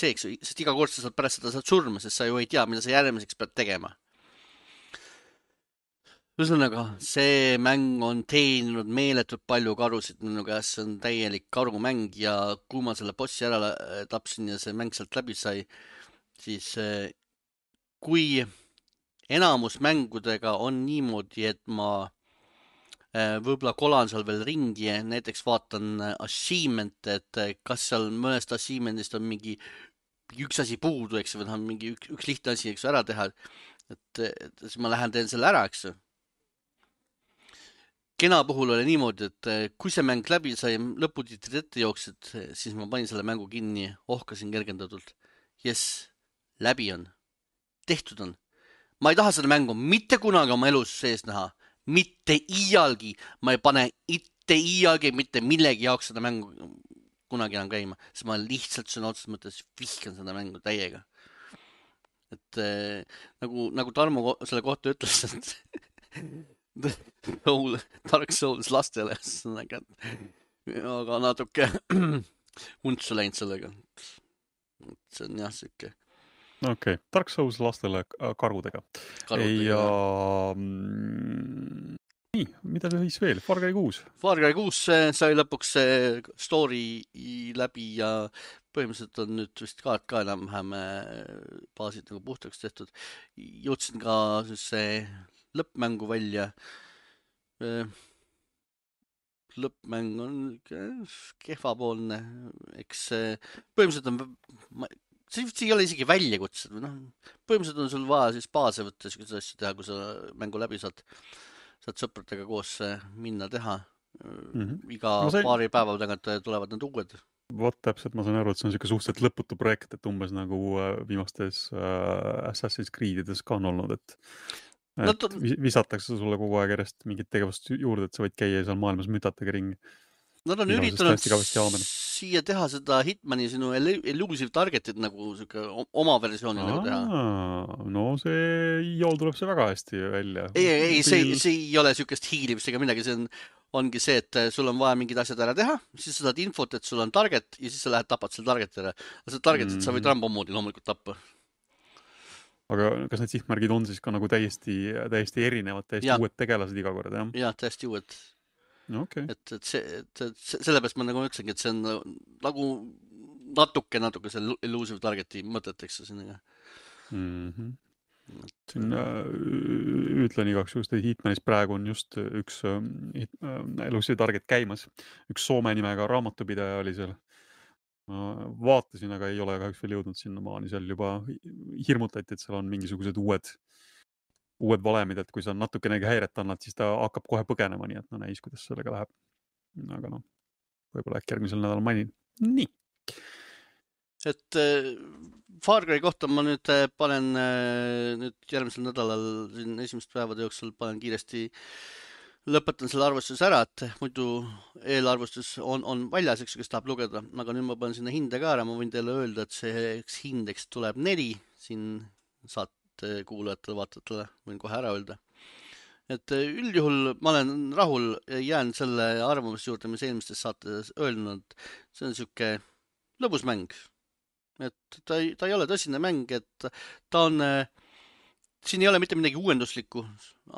eks. Sest iga kord sa saad pärast seda saad surma, sest sa ju ei tea, mida sa järgmiseks pead tegema. Ühesõnaga, see mäng on teeninud meeletult palju karusid minu käest, see on täielik karumäng ja kui ma selle bossi ära tapsin ja see mäng sealt läbi sai, siis kui enamus mängudega on niimoodi, et ma võib-olla kolan seal veel ringi ja näiteks vaatan achievement, et kas seal mõnest achievementist on mingi üks asi puudu, eks, või mingi üks lihtne asi, eks, ära teha, et siis ma lähen teen selle ära, eks. Kena puhul oli niimoodi, et kui see mäng läbi sai, lõputitrid ette jooksid, siis ma panin selle mängu kinni, ohkasin kergendatult. Yes, läbi on. Tehtud on. Ma ei taha seda mängu mitte kunagi oma elus sees näha. Mitte iialgi. Ma ei pane iialgi mitte millegi jaoks seda mängu kunagi enam käima. Sest ma lihtsalt sõna otseses mõttes vihkan seda mängu täiega. Et nagu Tarmo selle kohta ütles, et Dark Souls lastele. Aga natuke untsu läinud sellega. See on jah siuke. Okei, Dark Souls lastele karudega. Ja nii, mida siis veel? Far Cry 6. Far Cry 6 sai lõpuks story läbi ja põhimõtteliselt on nüüd vist ka enam-vähem baasid nagu puhtaks tehtud. Jõudsin ka see lõppmängu välja. lõppmäng on kehvapoolne, eks põhimõtteliselt on, see ei ole isegi väljakutsed, põhimõtteliselt on sul vaja siis baase võtta, selliseid asju teha, kui sa mängu läbi saad sõpradega koos minna teha. Iga paari päeva tagant tulevad need uued. Vot täpselt, ma saan aru, et see on selline suhteliselt lõputu projekt, et umbes nagu viimastes Assassin's Creedides ka on olnud, et visatakse sulle kogu aeg järjest mingit tegevust juurde, et sa võid käia seal maailmas mütatega ringi. Nad on üritanud siia teha seda Hitmani sinu Elusive Targetit nagu oma versiooni nagu teha. No see jool tuleb see väga hästi välja. Ei, see ei ole sükest hiilimist ega midagi, see ongi see, et sul on vaja mingid asjad ära teha, siis sa saad infot, et sul on target ja siis sa lähed tapad selle targeti ära. Seda targetit sa võid Rambo moodi loomulikult tappa. Aga kas need sihtmärgid on siis ka nagu täiesti erinevad, täiesti uued tegelased iga kord, jah? Jah, täiesti uued. Okay. Et sellepärast ma nagu ütlengi, et see on nagu natuke selle Elusive Targeti mõteteks sinna. Siin ütlen igaks just, et Hitmanis praegu on just üks Elusive Target käimas. Üks Soome nimega raamatupidaja oli seal. Vaatasin, aga ei ole kahjuks veel jõudnud sinna maani. Seal juba hirmutati, et seal on mingisugused uued valemid, et kui sa natukenegi häiret annad, siis ta hakkab kohe põgenema, nii et näis, kuidas sellega läheb. Aga võib-olla äkki järgmisel nädalal mainin. Nii. Et Far Cry kohta ma nüüd panen järgmisel nädalal siin esimest päevade jooksul panen kiiresti lõpetan selle arvustuse ära, et muidu eelarvustus on väljas, eks, kes tahab lugeda, aga nüüd ma panen sinna hinde ka ära, ma võin teile öelda, et see hindeks tuleb 4 siin saate kuulajatele, vaatajatele, võin kohe ära öelda. Et üldjuhul ma olen rahul, jään selle arvamuse juurde, mis eelmistes saates öelnud, see on siuke lõbus mäng. Et ta ei ole tõsine mäng, et ta on, siin ei ole mitte midagi uuenduslikku,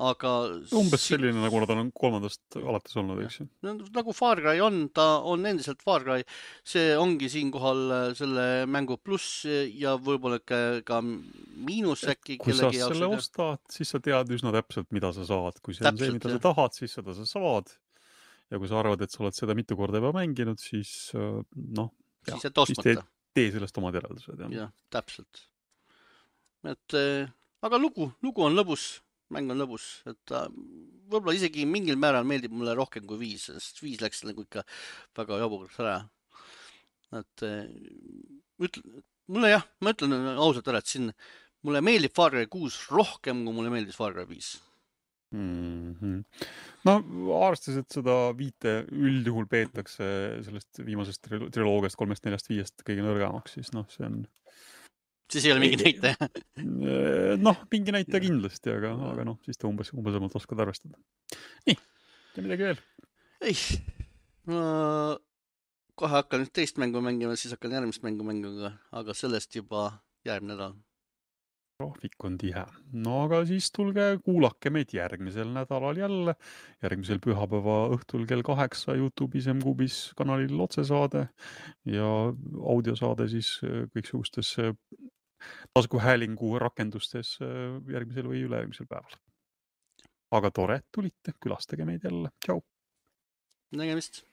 aga... Umbes selline, nagu nad on 3. alates olnud, eks ju? Nagu Far Cry on, ta on endiselt Far Cry, see ongi siinkohal selle mängu pluss ja võib-olla ka miinus äkki. Kui sa selle ostad, siis sa tead üsna täpselt, mida sa saad. Kui see on see, mida sa tahad, siis seda sa saad. Ja kui sa arvad, et sa oled seda mitu korda juba mänginud, siis siis tee sellest omad järeldused. Jah, täpselt. Et, aga lugu on lõbus, mäng on lõbus, et võib-olla isegi mingil määral meeldib mulle rohkem kui 5, sest 5 läks nagu ikka väga jaburaks ära. Et ma ütlen ausalt ära, et siin mulle meeldib Far Cry 6 rohkem, kui mulle meeldis Far Cry 5. No arvestades, et seda 5 üldjuhul peetakse sellest viimasest triloogiast 3, 4, 5 kõige nõrgamaks, siis see on... Siis ei ole mingi näitaja? Mingi näitaja kindlasti, aga siis ta umbes oskad arvestada. Nii, ja midagi veel? Ei, kohe hakkan nüüd teist mängu mängima, siis hakkan järgmist mängu mängima, aga sellest juba järgmine nädal. Graafik on tihe. No aga siis tulge kuulake meid järgmisel nädalal jälle. Järgmisel pühapäeva õhtul kell 8 YouTube'is MQB'is kanalil otsesaade ja audiosaade siis kõiksugustes taskuhäälingu rakendustes järgmisel või ülejärgmisel päeval. Aga tore, tulite, külastage meid jälle. Tšau! Nägemist!